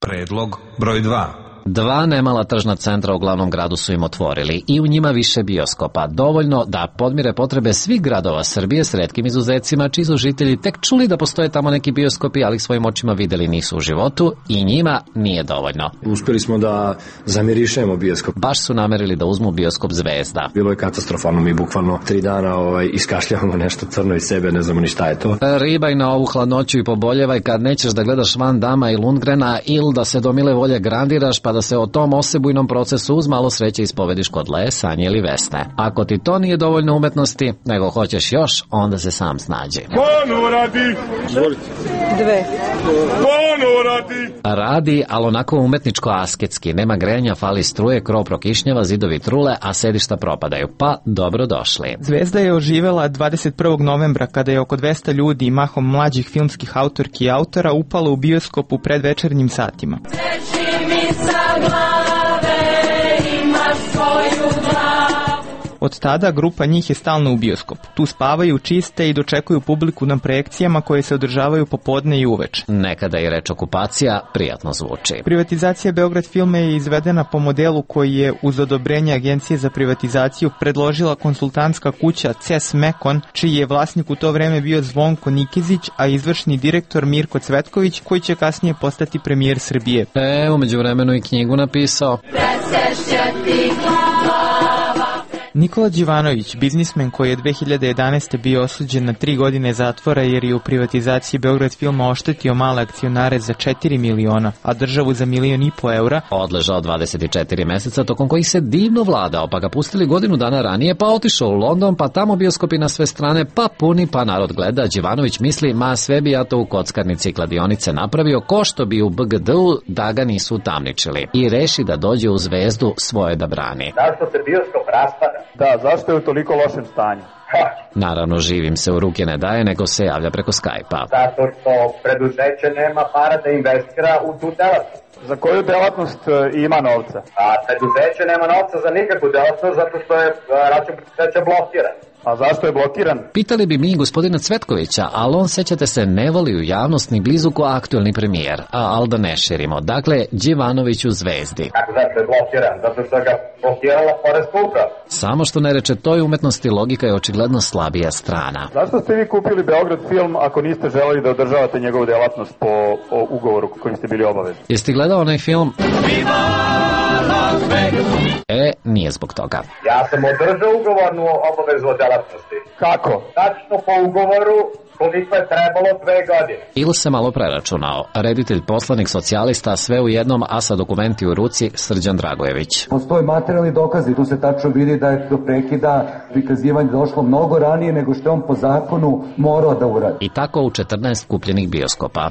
Predlog broj dva. Dva nemala tržna centra u glavnom gradu su im otvorili i u njima više bioskopa, dovoljno da podmire potrebe svih gradova Srbije s retkim izuzecima, čiji su žitelji tek čuli da postoje tamo neki bioskopi, ali svojim očima videli nisu u životu i njima nije dovoljno. Uspjeli smo da zamirišemo bioskop. Baš su namerili da uzmu bioskop Zvezda. Bilo je katastrofalno, mi bukvalno tri dana ovaj, iskašljavamo nešto crno iz sebe, ne znamo ni šta je to. Ribaj na ovu hladnoću i poboljevaj kad nećeš da gledaš Van Dama i Lundgrena ili da se do mile volje grandiraš pa da se o tom osebujnom procesu uz malo sreće ispovediš kod Le, Sanje ili Vesne. Ako ti to nije dovoljno umetnosti, nego hoćeš još, onda se sam snađi. Ono radi! Dve. Ono radi! Radi, ali onako umetničko-asketski. Nema grejanja, fali struje, krov prokišnjava, zidovi trule, a sedišta propadaju. Pa, dobro došli. Zvezda je oživela dvadeset prvog novembra kada je oko dvesta ljudi, mahom mlađih filmskih autorki i autora, upalo u bioskop u predvečernjim satima. Sa glave imaš svoju glavu. Od tada grupa njih je stalno u bioskopu. Tu spavaju, čiste i dočekuju publiku na projekcijama koje se održavaju popodne i uveče. Nekada i reč okupacija prijatno zvuči. Privatizacija Beograd filma je izvedena po modelu koji je uz odobrenje Agencije za privatizaciju predložila konsultantska kuća C E S Mekon, čiji je vlasnik u to vreme bio Zvonko Nikezić, a izvršni direktor Mirko Cvetković, koji će kasnije postati premijer Srbije. E, umeđu vremenu i knjigu napisao. Nikola Đivanović, biznismen koji je dve hiljade jedanaeste. bio osuđen na tri godine zatvora jer je u privatizaciji Beograd filma oštetio male akcionare za četiri miliona, a državu za milion i po eura, odležao dvadeset četiri meseca tokom kojih se divno vladao, pa ga pustili godinu dana ranije, pa otišao u London, pa tamo bioskopi na sve strane, pa puni, pa narod gleda. Đivanović misli, ma sve bi ja to u kockarnici i kladionice napravio, ko što bi u B G D-u da ga nisu utamničili. I reši da dođe u Zvezdu svoje da brani. Zašto se bioskop raspada? Da, zašto je u toliko lošem stanju? Ha. Naravno, živim se u ruke ne daje, nego se javlja preko Skype-a. Zato što preduzeće nema para da investira u tu delatnost. Za koju delatnost ima novca? A preduzeće nema novca za nikakvu delatnost zato što je račun preduzeća blokiran. A zašto je blokiran? Pitali bi mi gospodina Cvetkovića, ali on, sećate se, ne voli u javnost ni blizu ko aktuelni premijer, a al da ne širimo. Dakle, Đivanović u Zvezdi. Kako znači je blokiran? Zato što ga blokirala poreska uprava. Samo što ne reče toj umetnosti, logika je očigledno slabija strana. Zašto ste vi kupili Beograd film ako niste želeli da održavate njegovu delatnost po o ugovoru kojim ste bili obavezni? Jeste gledao onaj film? E, nije zbog toga. Ja sam održao ugovornu obavezu o delatnosti. Kako? Tačno po ugovoru koliko je trebalo dve godine. Ili se malo preračunao. Reditelj, poslanik socijalista, sve u jednom, a sa dokumenti u ruci, Srđan Dragojević. Postoje materijalni dokazi, tu se tačno vidi da je do prekida prikazivanja došlo mnogo ranije nego što je on po zakonu morao da uradi. I tako u četrnaest kupljenih bioskopa.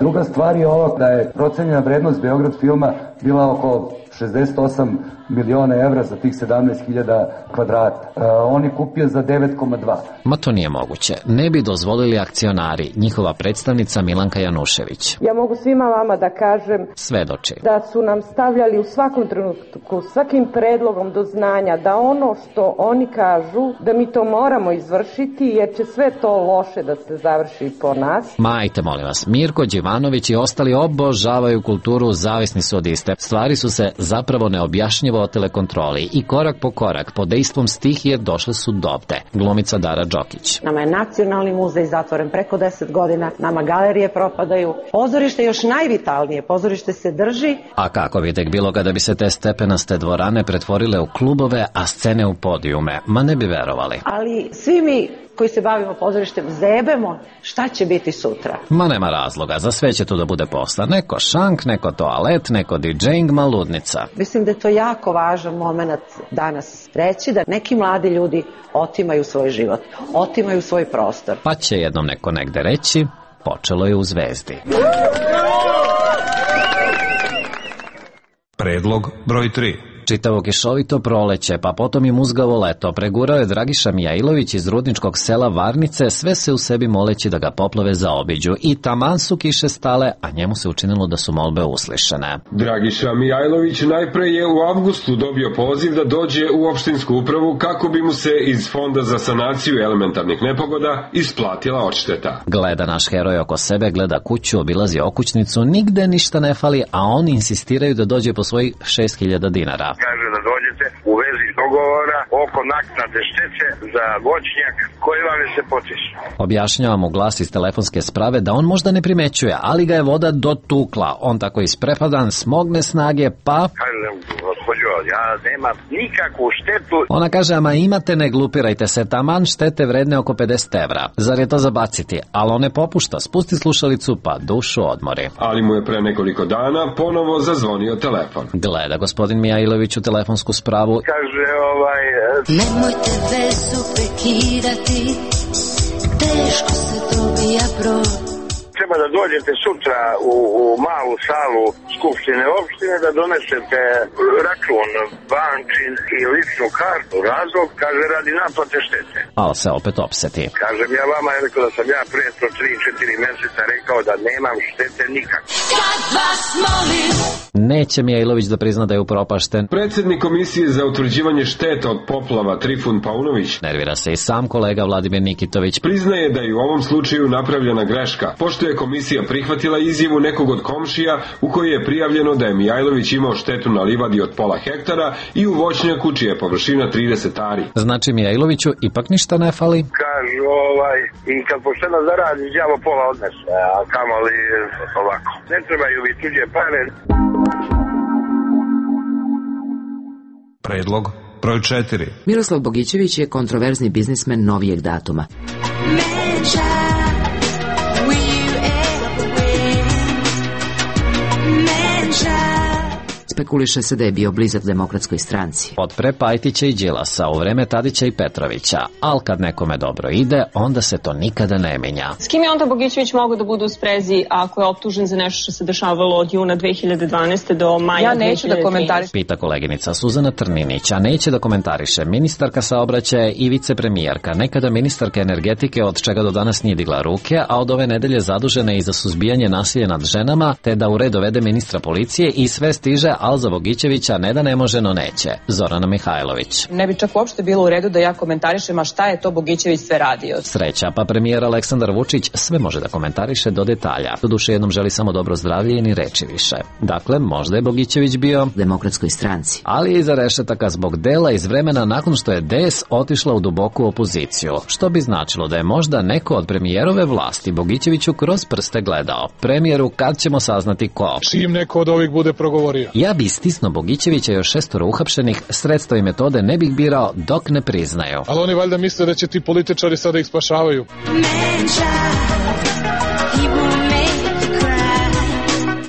Druga stvar je ovo da je procenjena vrednost Beograd filma bila oko šezdeset osam miliona evra za tih sedamnaest hiljada kvadrata. E, on je kupio za devet zarez dva. Ma to nije moguće. Ne bi dozvolili akcionari, njihova predstavnica Milanka Janušević. Ja mogu svima vama da kažem svedoči da su nam stavljali u svakom trenutku, svakim predlogom do znanja da ono što oni kažu, da mi to moramo izvršiti jer će sve to loše da se završi po nas. Majte, molim vas, Mirko Đivanović i ostali obožavaju kulturu, zavisni su od iste. Stvari su se zapravo neobjašnjivo o telekontroli i korak po korak, pod dejstvom stihije došle su dovde. Glumica Dara Đokić. Nama je Nacionalni muzej zatvoren preko deset godina, nama galerije propadaju, pozorište još najvitalnije, pozorište se drži. A kako bi tek bilo kada bi se te stepenaste dvorane pretvorile u klubove, a scene u podijume? Ma ne bi verovali. Ali svi mi koji se bavimo pozorištem zebemo šta će biti sutra. Ma nema razloga, za sve će tu da bude posla. Neko šank, neko toalet, neko didžejing, ma ludnica. Mislim da je to jako važan moment danas reći da neki mladi ljudi otimaju svoj život, otimaju svoj prostor. Pa će jednom neko negde reći, počelo je u Zvezdi. Predlog broj tri. Čitavo kišovito proleće, pa potom i muzgavo leto, pregurao je Dragiša Mijailović iz rudničkog sela Varnice, sve se u sebi moleći da ga poplove zaobiđu. I taman su kiše stale, a njemu se učinilo da su molbe uslišene. Dragiša Mijailović najpre je u avgustu dobio poziv da dođe u opštinsku upravu kako bi mu se iz Fonda za sanaciju elementarnih nepogoda isplatila odšteta. Gleda naš heroj oko sebe, gleda kuću, obilazi okućnicu, nigde ništa ne fali, a oni insistiraju da dođe po svojih šest hiljada dinara. Kaže da dođete u vezi dogovora oko naknade štete za voćnjak koji vam je se potiče. Objašnjava mu glas iz telefonske sprave da on možda ne primećuje, ali ga je voda dotukla. On tako isprepadan, smogne snage, pa... Kažem, gospođo, ja nemam nikakvu štetu. Ona kaže, ama imate, ne glupirajte se, taman štete vredne oko pedeset evra. Zar je to zabaciti? Ali on ne popušta, spusti slušalicu, pa dušu odmori. Ali mu je pre nekoliko dana ponovo zazvonio telefon. Gleda gospodin Mijailović u telefonsku spravu. Kaže, ovaj... Nemojte vezu prekidati, teško se dobija brod. treba da dođete sutra u, u malu salu Skupštine opštine da donesete račun, bančin i ličnu kartu. Razlog, kaže, radi naplate štete. Ali se opet opseti. Kažem ja vama, je rekao da sam ja prije tri četiri meseca rekao da nemam štete nikak. Kad vas molim. Neće Mijailović da prizna da je upropašten. Predsjednik Komisije za utvrđivanje šteta od poplava Trifun Paunović nervira se i sam kolega Vladimir Nikitović. Priznaje da je u ovom slučaju napravljena greška, pošto je komisija prihvatila izjavu nekog od komšija u kojoj je prijavljeno da je Mijailović imao štetu na livadi od pola hektara i u voćnjaku čija je površina trideset ari. Znači Mijailoviću ipak ništa ne fali? Kažu ovaj, i kad pošteno zaradi, đavo pola odnese, a kamoli ovako. Ne trebaju vi tuđe pare. Predlog broj četiri. Miroslav Bogićević je kontroverzni biznismen novijeg datuma. Spekuliše se da je bio blizak Demokratskoj stranci. Od pre Pajtića i Đilasa, u vreme Tadića i Petrovića, ali kad nekome dobro ide, onda se to nikada ne menja. S kim je onda Bogićević mogao da bude u sprezi ako je optužen za nešto što se dešavalo od juna dve hiljade dvanaeste do maja ja dve hiljade trinaeste? Ja neću da komentarišem. Pita koleginica Suzana Trninić, a neće da komentariše ministarka saobraćaja i vicepremijerka, nekada ministarka energetike, od čega do danas nije digla ruke, a od ove nedelje zadužena i za suzbijanje nasilja nad ženama, te da u red dovede ministra policije i sve stiže, ali za Bogićevića ne da ne može, no neće. Zorana Mihajlović. Ne bi čak uopšte bilo u redu da ja komentarišem, a šta je to Bogićević sve radio. Sreća, pa premijer Aleksandar Vučić sve može da komentariše do detalja. Doduše jednom želi samo dobro zdravlje i ni reči više. Dakle, možda je Bogićević bio Demokratskoj stranci. Ali je iza rešetaka zbog dela iz vremena nakon što je D S otišla u duboku opoziciju. Što bi značilo da je možda neko od premijerove vlasti Bogićeviću kroz prste gledao. Premijeru, kad ćemo saznati ko? Čim neko od ovih bude progovorio. Ja bi stisno Bogićevića još šestoro uhapšenih, sredstva i metode ne bih birao dok ne priznaju. Ali oni valjda misle da će ti političari sada ih spašavaju.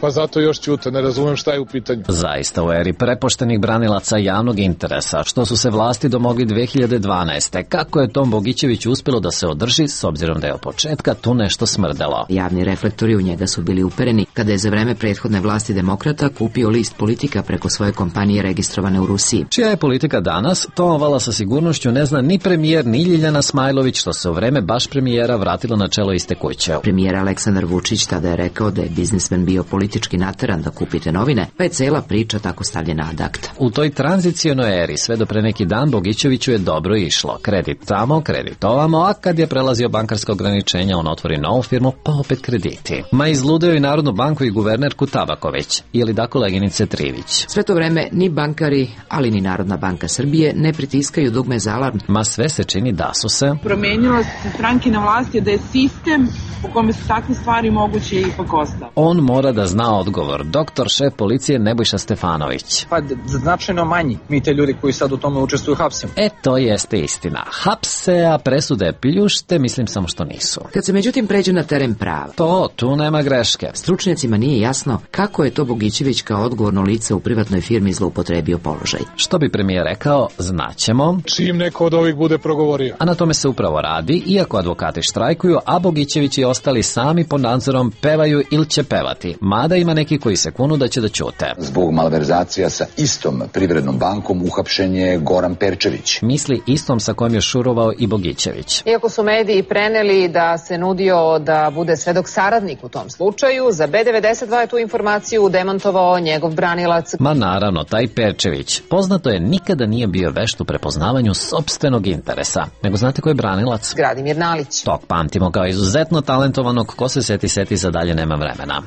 Pa zato još ćute, ne razumem šta je u pitanju. Zaista u eri prepoštenih branilaca javnog interesa, što su se vlasti domogli dve hiljade dvanaeste. Kako je Tom Bogićeviću uspjelo da se održi, s obzirom da je od početka tu nešto smrdelo? Javni reflektori u njega su bili upereni kada je za vreme prethodne vlasti demokrata kupio list Politika preko svoje kompanije registrovane u Rusiji. Čija je Politika danas, to ovala sa sigurnošću ne zna ni premijer ni Ljiljana Smajlović, što se u vreme baš premijera vratilo na čelo iste kuće. Premijer Aleksandar Vučić tada je rekao da je biznismen bio politički nateran da kupite novine, pa je cela priča tako stavljena ad acta. U toj tranzicionoj eri sve do pre neki dan Bogićeviću je dobro išlo. Kredit tamo, kredit ovamo, a kad je prelazio bankarska ograničenja, on otvori novu firmu, pa opet krediti. Ma izludeo i Narodnu banku i guvernerku Tabaković, ili da koleginice Trivić. Sve to vreme ni bankari, ali ni Narodna banka Srbije ne pritiskaju dugme za alarm. Ma sve se čini da su se promenila se stranke na vlasti, da je sistem u kome su takve stvari moguće ipak ostao. On mora da zna odgovor. Doktor šef policije Nebojša Stefanović. Pa značajno manji. Mi te ljudi koji sad u tome učestvuju hapsimo. E, to jeste istina. Hapse, a presude pljušte, mislim samo što nisu. Kad se međutim pređe na teren prava, to, tu nema greške. Stručnjacima nije jasno kako je to Bogićević kao odgovorno lice u privatnoj firmi zloupotrebio položaj. Što bi premijer rekao, znaćemo. Čim neko od ovih bude progovorio. A na tome se upravo radi, iako advokati štrajkuju, a Bogićević i ostali sami pod nadzorom pevaju ili će pevati. Mada ima neki koji se kunu da će da ćute. Zbog malverzacija sa istom Privrednom bankom uhapšen je Goran Perčević. Misli istom sa kojim je šurovao i Bogićević. Iako su mediji preneli da se nudio da bude svedok saradnik u tom slučaju, za B devedeset dva je tu informaciju demantovao njegov branilac. Ma naravno, taj Perčević, poznato je, nikada nije bio vešt u prepoznavanju sopstvenog interesa. Nego znate ko je branilac? Gradimir Nalić. Tog pamtimo kao izuzetno talentovanog, ko se seti, seti, za dalje nema vremena.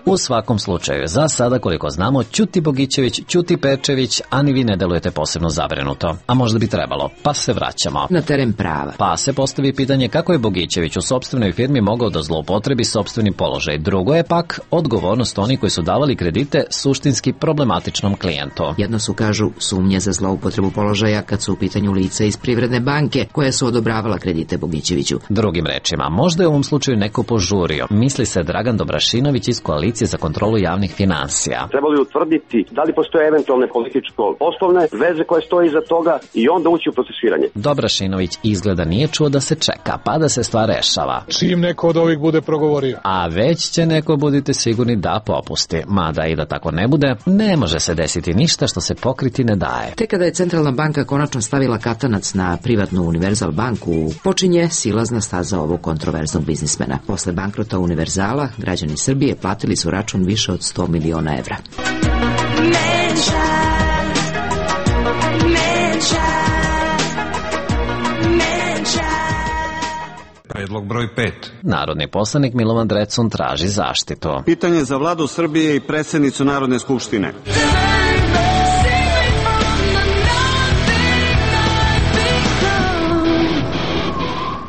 U svakom slučaju, za sada koliko znamo, ćuti Bogićević, ćuti Perčević, a ni vi ne delujete posebno zabrinuto. A možda bi trebalo, pa se vraćamo na teren prava. Pa se postavi pitanje kako je Bogićević u sopstvenoj firmi mogao da zloupotrebi sopstveni položaj. Drugo je pak odgovornost onih koji su davali kredite suštinski problematičnom klijentu. Jedno su, kažu, sumnje za zloupotrebu položaja kad su u pitanju lica iz Privredne banke koja su odobravala kredite Bogićeviću. Drugim rečima, možda je u ovom slučaju neko požurio. Misli se Dragan Dobrašinović iz koalicije Agencije za kontrolu javnih finansija. Trebali utvrditi da li postoje eventualne političko-poslovne veze koje stoje iza toga i onda ući u procesuiranje. Dobrašinović izgleda nije čuo da se čeka, pa da se stvar rešava. Čim neko od ovih bude progovorio. A već će neko, budite sigurni, da popusti. Mada i da tako ne bude, ne može se desiti ništa što se pokriti ne daje. Te kada je Centralna banka konačno stavila katanac na privatnu Univerzal banku, počinje silazna staza ovog kontroverznog biznismena. Posle bankrota Univerzala, građani Srbije platili su račun više od sto miliona evra. Menša, menša, menša. Predlog broj pet. Narodni poslanik Milovan Drecun traži zaštitu. Pitanje za vladu Srbije i predsjednicu Narodne skupštine.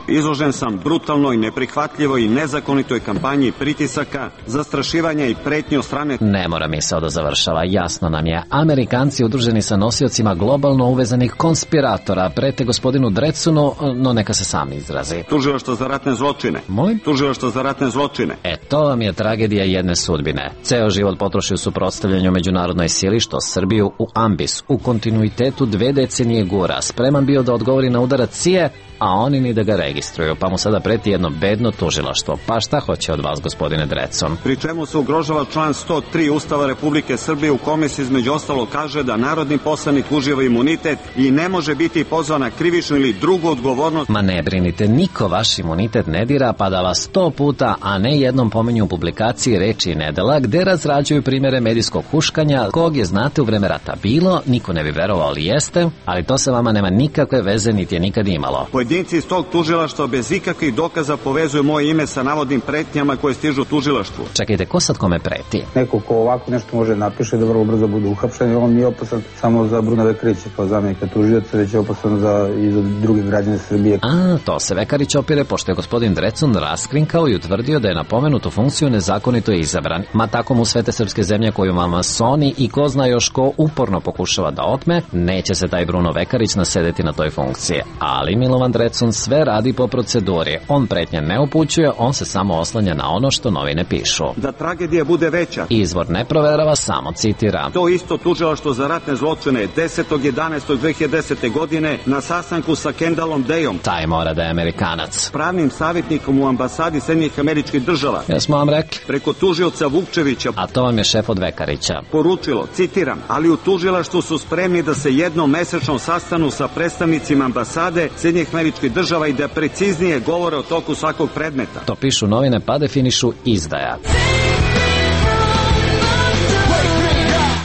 Izložen sam brutalnoj, neprihvatljivoj i nezakonitoj kampanji pritisaka, zastrašivanja i pretnje od strane... Ne mora misao da završava, jasno nam je. Amerikanci udruženi sa nosiocima globalno uvezanih konspiratora prete gospodinu Drecunu, no neka se sam izrazi. Tužilaštvo za ratne zločine. Moj? Tužilaštvo za ratne zločine. E, to vam je tragedija jedne sudbine. Ceo život potroši u suprotstavljanju međunarodnoj sili, što Srbiju u ambis, u kontinuitetu dve decenije gura, spreman bio da odgovori na udarac C I A, a oni ni da ga registruju, pa mu sada preti jedno bedno tužilaštvo. Pa šta hoće od vas, gospodine Drecun? Pri čemu se ugrožava član sto tri Ustava Republike Srbije, u kome se između ostalo kaže da narodni poslanik uživa imunitet i ne može biti pozvan na krivičnu ili drugu odgovornost. Ma ne brinite, niko vaš imunitet ne dira, pa da vas sto puta, a ne jednom pominju u publikaciji Reči i nedela, gde razrađuju primere medijskog huškanja, kog je, znate, u vreme rata bilo, niko ne bi verovao, ali jeste, ali to se vama nema nikakve veze, niti je nikad imalo. Pojedinci iz tog tužilaštva bez ikakvih dokaza povezuju moje ime sa navodnim pretnjama koje stižu tužilaštvu. Čekajte, ko sad kome preti? Neko ko ovako nešto može napiše da vrlo brzo bude uhapšen, on nije opasan samo za Bruna Vekarića kao zamjenika tužioca, već je opasan za, i za druge građane Srbije. A, to se Vekarić opire, pošto je gospodin Drecun raskrinkao i utvrdio da je na pomenutu funkciju nezakonito izabran. Ma tako mu svete srpske zemlje koju masoni i ko zna još ko uporno pokušava da otme, neće se taj Bruno Vekarić nasedeti na toj funkciji. Ali Milovan Drecun sve radi po proceduri. On pretnje ne upućuje, on se samo oslanja na ono što novine pišu. Da tragedija bude veća. Izvor ne proverava, samo citira. To isto tužilaštvo za ratne zločine desetog jedanaestog dve hiljade desete. godine na sastanku sa Kendallom Dayom. Taj mora da je Amerikanac. Pravnim savjetnikom u ambasadi Sjedinjenih Američkih Država. Jesmo vam rekli. Preko tužioca Vukčevića. A to vam je šef od Vekarića. Poručilo, citiram, ali u tužilaštvu su spremni da se jednom mesečno sastanu sa predstavnicima ambasade Sjedinjenih Američkih Država i da preciznije govore o toku svakog predmeta. To pišu novine, pa definišu izdaja.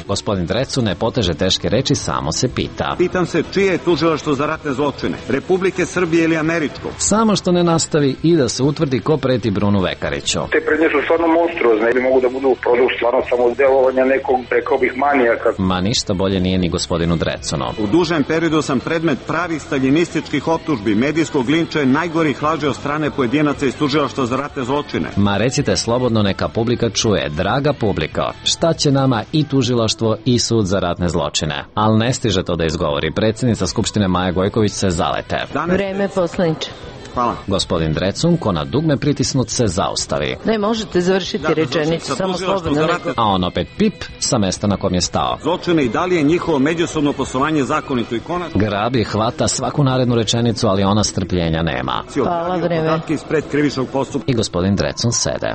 Gospodin Drecun ne poteže teške reči, samo se pita. Pitam se čije je tužilaštvo za ratne zločine, Republike Srbije ili američko? Samo što ne nastavi i da se utvrdi ko preti Brunu Vekariću. Te prednje su stvarno monstruozne ili mogu da budu produkt stvarno samo delovanja nekog, rekao bih, manijaka. Ma ništa bolje nije ni gospodinu Drecunu. U dužem periodu sam predmet pravih staljinističkih optužbi, medijskog linča i najgorih laži od strane pojedinaca iz tužilaštva za ratne zločine. Ma recite slobodno, neka publika čuje. Draga publika, šta će nama i tužilaštvo i sud za ratne zločine? Ali ne stiže to da izgovori. Predsjednica Skupštine Maja Gojković se zalete. Danes... Vreme, poslaniče. Hvala. Gospodin Drecun, ko na dugme pritisnut, se zaustavi. Ne možete završiti da, rečenicu, samo slobodno. Ratne... A on opet pip sa mesta na kom je stao. Zločine i da li je njihovo međusobno poslovanje zakonito i konačno? Grabi, hvata svaku narednu rečenicu, ali ona strpljenja nema. Hvala, vreme. Ispred krivičnog postupka. I gospodin Drecun sede.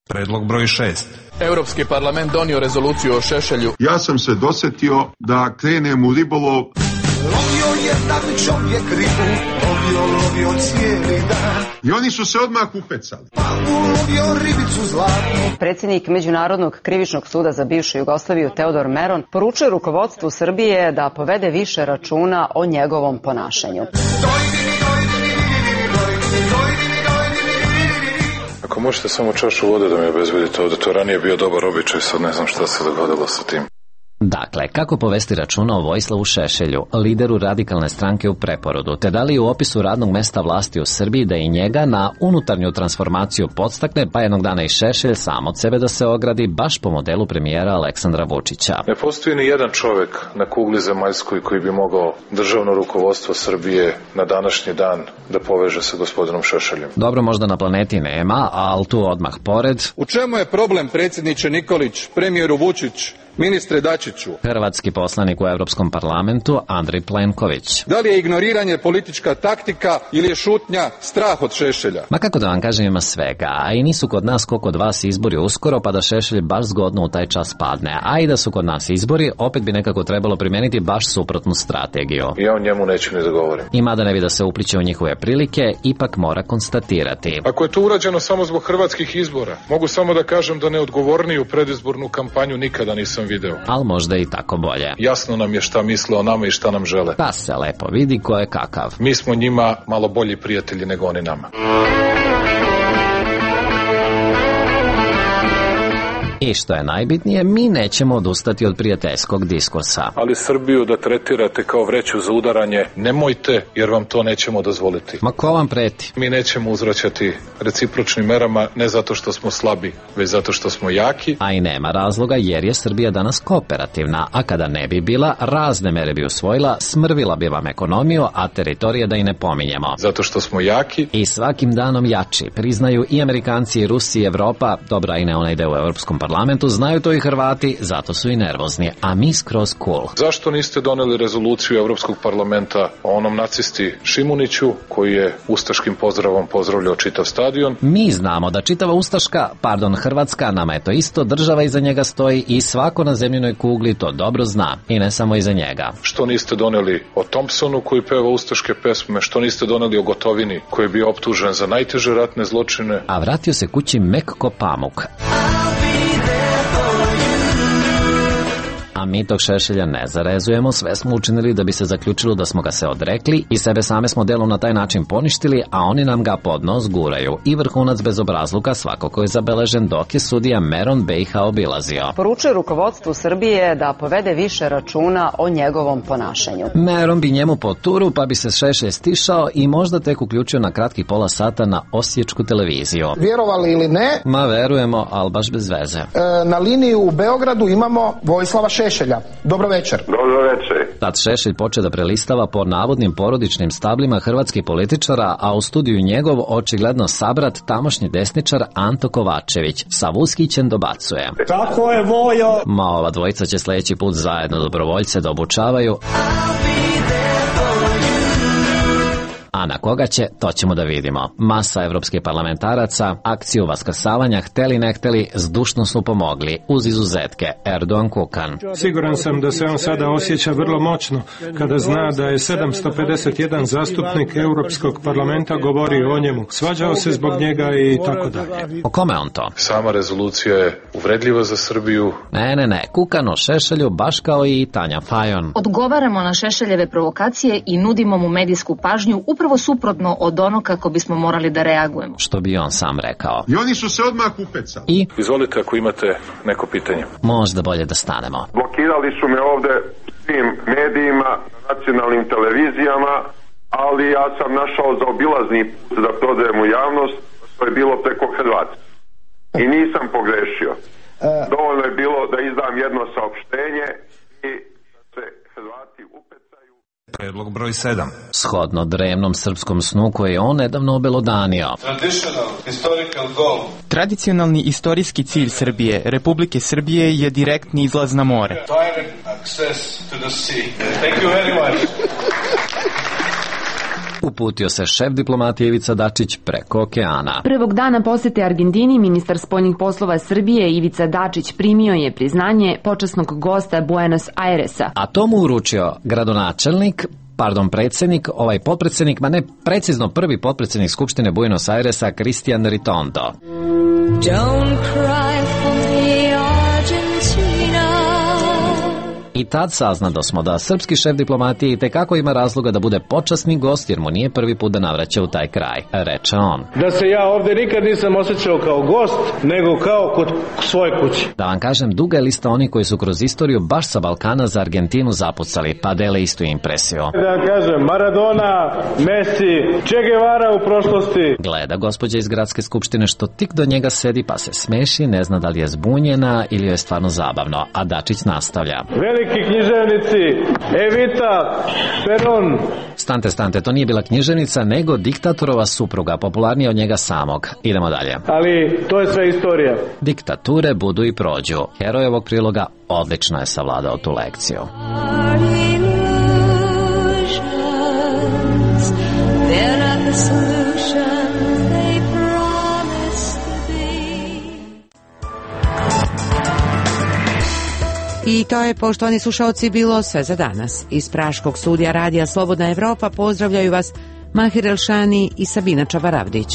Predlog broj šest. Europski parlament donio rezoluciju o Šešelju. Ja sam se dosetio da krenem u ribolov. Lovio jedan čovjek ribu, lovio, lovio cijeli dan. I oni su se odmah upecali. Pa ulovio ribicu zlatnu. Predsjednik Međunarodnog krivičnog suda za bivšu Jugoslaviju Teodor Meron poručuje rukovodstvu Srbije da povede više računa o njegovom ponašanju. Ako možete samo čašu vode da mi obezbedite ovde, to ranije bio dobar običaj, sad ne znam šta se dogodilo sa tim. Dakle, kako povesti računa o Vojislavu Šešelju, lideru radikalne stranke u preporodu, te da li u opisu radnog mesta vlasti u Srbiji da i njega na unutarnju transformaciju podstakne, pa jednog dana i Šešelj sam od sebe da se ogradi baš po modelu premijera Aleksandra Vučića. Ne postoji ni jedan čovek na kugli zemaljskoj koji bi mogao državno rukovodstvo Srbije na današnji dan da poveže sa gospodinom Šešeljem. Dobro, možda na planeti nema, ali tu odmah pored. U čemu je problem, predsjedniče Nikolić, premijeru Vučić, ministre Dačiću? Hrvatski poslanik u Evropskom parlamentu Andrej Plenković. Da li je ignoriranje politička taktika ili je šutnja strah od Šešelja? Ma kako da vam kažem, ima svega, a i nisu kod nas ko kod vas izbori uskoro, pa da Šešelj baš zgodno u taj čas padne, a i da su kod nas izbori, opet bi nekako trebalo primeniti baš suprotnu strategiju. Ja o njemu neću ni da govorim. I mada ne bi da se upliče u njihove prilike, ipak mora konstatirati. Ako je to urađeno samo zbog hrvatskih izbora, mogu samo da kažem da neodgovorniju predizbornu kampanju nikada nisam video. Ali možda i tako bolje. Jasno nam je šta misle o nama i šta nam žele. Pa se lepo vidi ko je kakav. Mi smo njima malo bolji prijatelji nego oni nama. I što je najbitnije, mi nećemo odustati od prijateljskog diskursa. Ali Srbiju da tretirate kao vreću za udaranje, nemojte, jer vam to nećemo dozvoliti. Ma ko vam preti? Mi nećemo uzvraćati recipročnim merama, ne zato što smo slabi, već zato što smo jaki. A i nema razloga, jer je Srbija danas kooperativna, a kada ne bi bila, razne mere bi usvojila, smrvila bi vam ekonomiju, a teritorije da i ne pominjemo. Zato što smo jaki. I svakim danom jači, priznaju i Amerikanci, i Rusi, i Evropa, dobra i ne ona ide u Evropskom parlamentu. parlamentu, znaju to i Hrvati, zato su i nervozni, a mi skroz cool. Zašto niste doneli rezoluciju Evropskog parlamenta o onom nacisti Šimuniću, koji je ustaškim pozdravom pozdravljao čitav stadion? Mi znamo da čitava ustaška, pardon Hrvatska, nama je to isto, država iza njega stoji i svako na zemljinoj kugli to dobro zna, i ne samo iza njega. Što niste doneli o Thompsonu koji peva ustaške pesme, što niste doneli o Gotovini koji je bio optužen za najteže ratne zločine? A vratio se kući mek ko pamuk. A mi tog Šešelja ne zarezujemo, sve smo učinili da bi se zaključilo da smo ga se odrekli i sebe same smo delom na taj način poništili, a oni nam ga pod nos guraju. I vrhunac bezobrazluka svakako je zabeležen dok je sudija Meron B i H obilazio. Poručuje rukovodstvu Srbije da povede više računa o njegovom ponašanju. Meron bi njemu po turu, pa bi se Šešelj stišao i možda tek uključio na kratki pola sata na osječku televiziju. Vjerovali ili ne? Ma verujemo, ali baš bez veze. E, na liniji u Beogradu imamo Vojislava Šešelja. Dobro večer. Dobro večer. Tad Šešelj poče da prelistava po navodnim porodičnim stablima hrvatskih političara, a u studiju njegov očigledno sabrat tamošnji desničar Anto Kovačević. Sa Vuskićem dobacuje. Tako je, Vojo. Ma ova dvojica će sljedeći put zajedno dobrovoljce da obučavaju. A na koga će, to ćemo da vidimo. Masa evropskih parlamentaraca akciju vaskrsavanja hteli ne hteli zdušno su pomogli, uz izuzetke Erdogan Kukan. Siguran sam da se on sada osjeća vrlo moćno kada zna da je sedamsto pedeset jedan zastupnik Europskog parlamenta govorio o njemu, svađao se zbog njega i tako dalje. O kome on to? Sama rezolucija je uvredljiva za Srbiju. Ne, ne, ne, Kukan o Šešelju baš kao i Tanja Fajon. Odgovaramo na Šešeljeve provokacije i nudimo mu medijsku pažnju upravo suprotno od ono kako bismo morali da reagujemo. Što bi on sam rekao. I oni su se odmah upecali. I? Izvolite ako imate neko pitanje. Možda bolje da stanemo. Blokirali su me ovde svim medijima, nacionalnim televizijama, ali ja sam našao zaobilazni put da prodajem u javnost, to je bilo preko Hrvatske. I nisam pogrešio. Dovoljno je bilo da izdam jedno saopštenje i da se Hrvati upecaju. Predlog broj sedam. Shodno drevnom srpskom snu koje je on nedavno obelodanio. Tradicionalni istorijski cilj Srbije, Republike Srbije, je direktni izlaz na more. Uputio se šef diplomatije Ivica Dačić preko okeana. Prvog dana posete Argentini ministar spoljnih poslova Srbije Ivica Dačić primio je priznanje počasnog gosta Buenos Airesa. A to mu uručio gradonačelnik, pardon, predsjednik, ovaj potpredsjednik, ma ne, precizno prvi potpredsjednik Skupštine Buenos Airesa, Cristian Ritondo. Don't cry for me, Argentina. I tad saznado smo da srpski šef diplomatije i tekako ima razloga da bude počasni gost jer mu nije prvi put da navraća u taj kraj, reče on. Da se ja ovde nikad nisam osjećao kao gost, nego kao kod svoje kuće. Da vam kažem, duga je lista oni koji su kroz istoriju baš sa Balkana za Argentinu zapucali, pa dele istu impresiju. Da vam kažem, Maradona, Messi, Che Guevara u prošlosti. Gleda gospođa iz gradske skupštine što tik do njega sedi pa se smeši, ne zna da li je zbunjena ili je stvarno zabavno, a Dačić nastavlja. Veliki književnici, Evita, Peron. Stante, stante, to nije bila književnica, nego diktatorova supruga, popularnija od njega samog. Idemo dalje. Ali to je sve istorija. Diktature budu i prođu. Heroj ovog priloga odlično je savladao tu lekciju. I to je, poštovani slušalci, bilo sve za danas. Iz Praškog studija radija Slobodna Evropa pozdravljaju vas Mahir Elšani i Sabina Čabaravdić.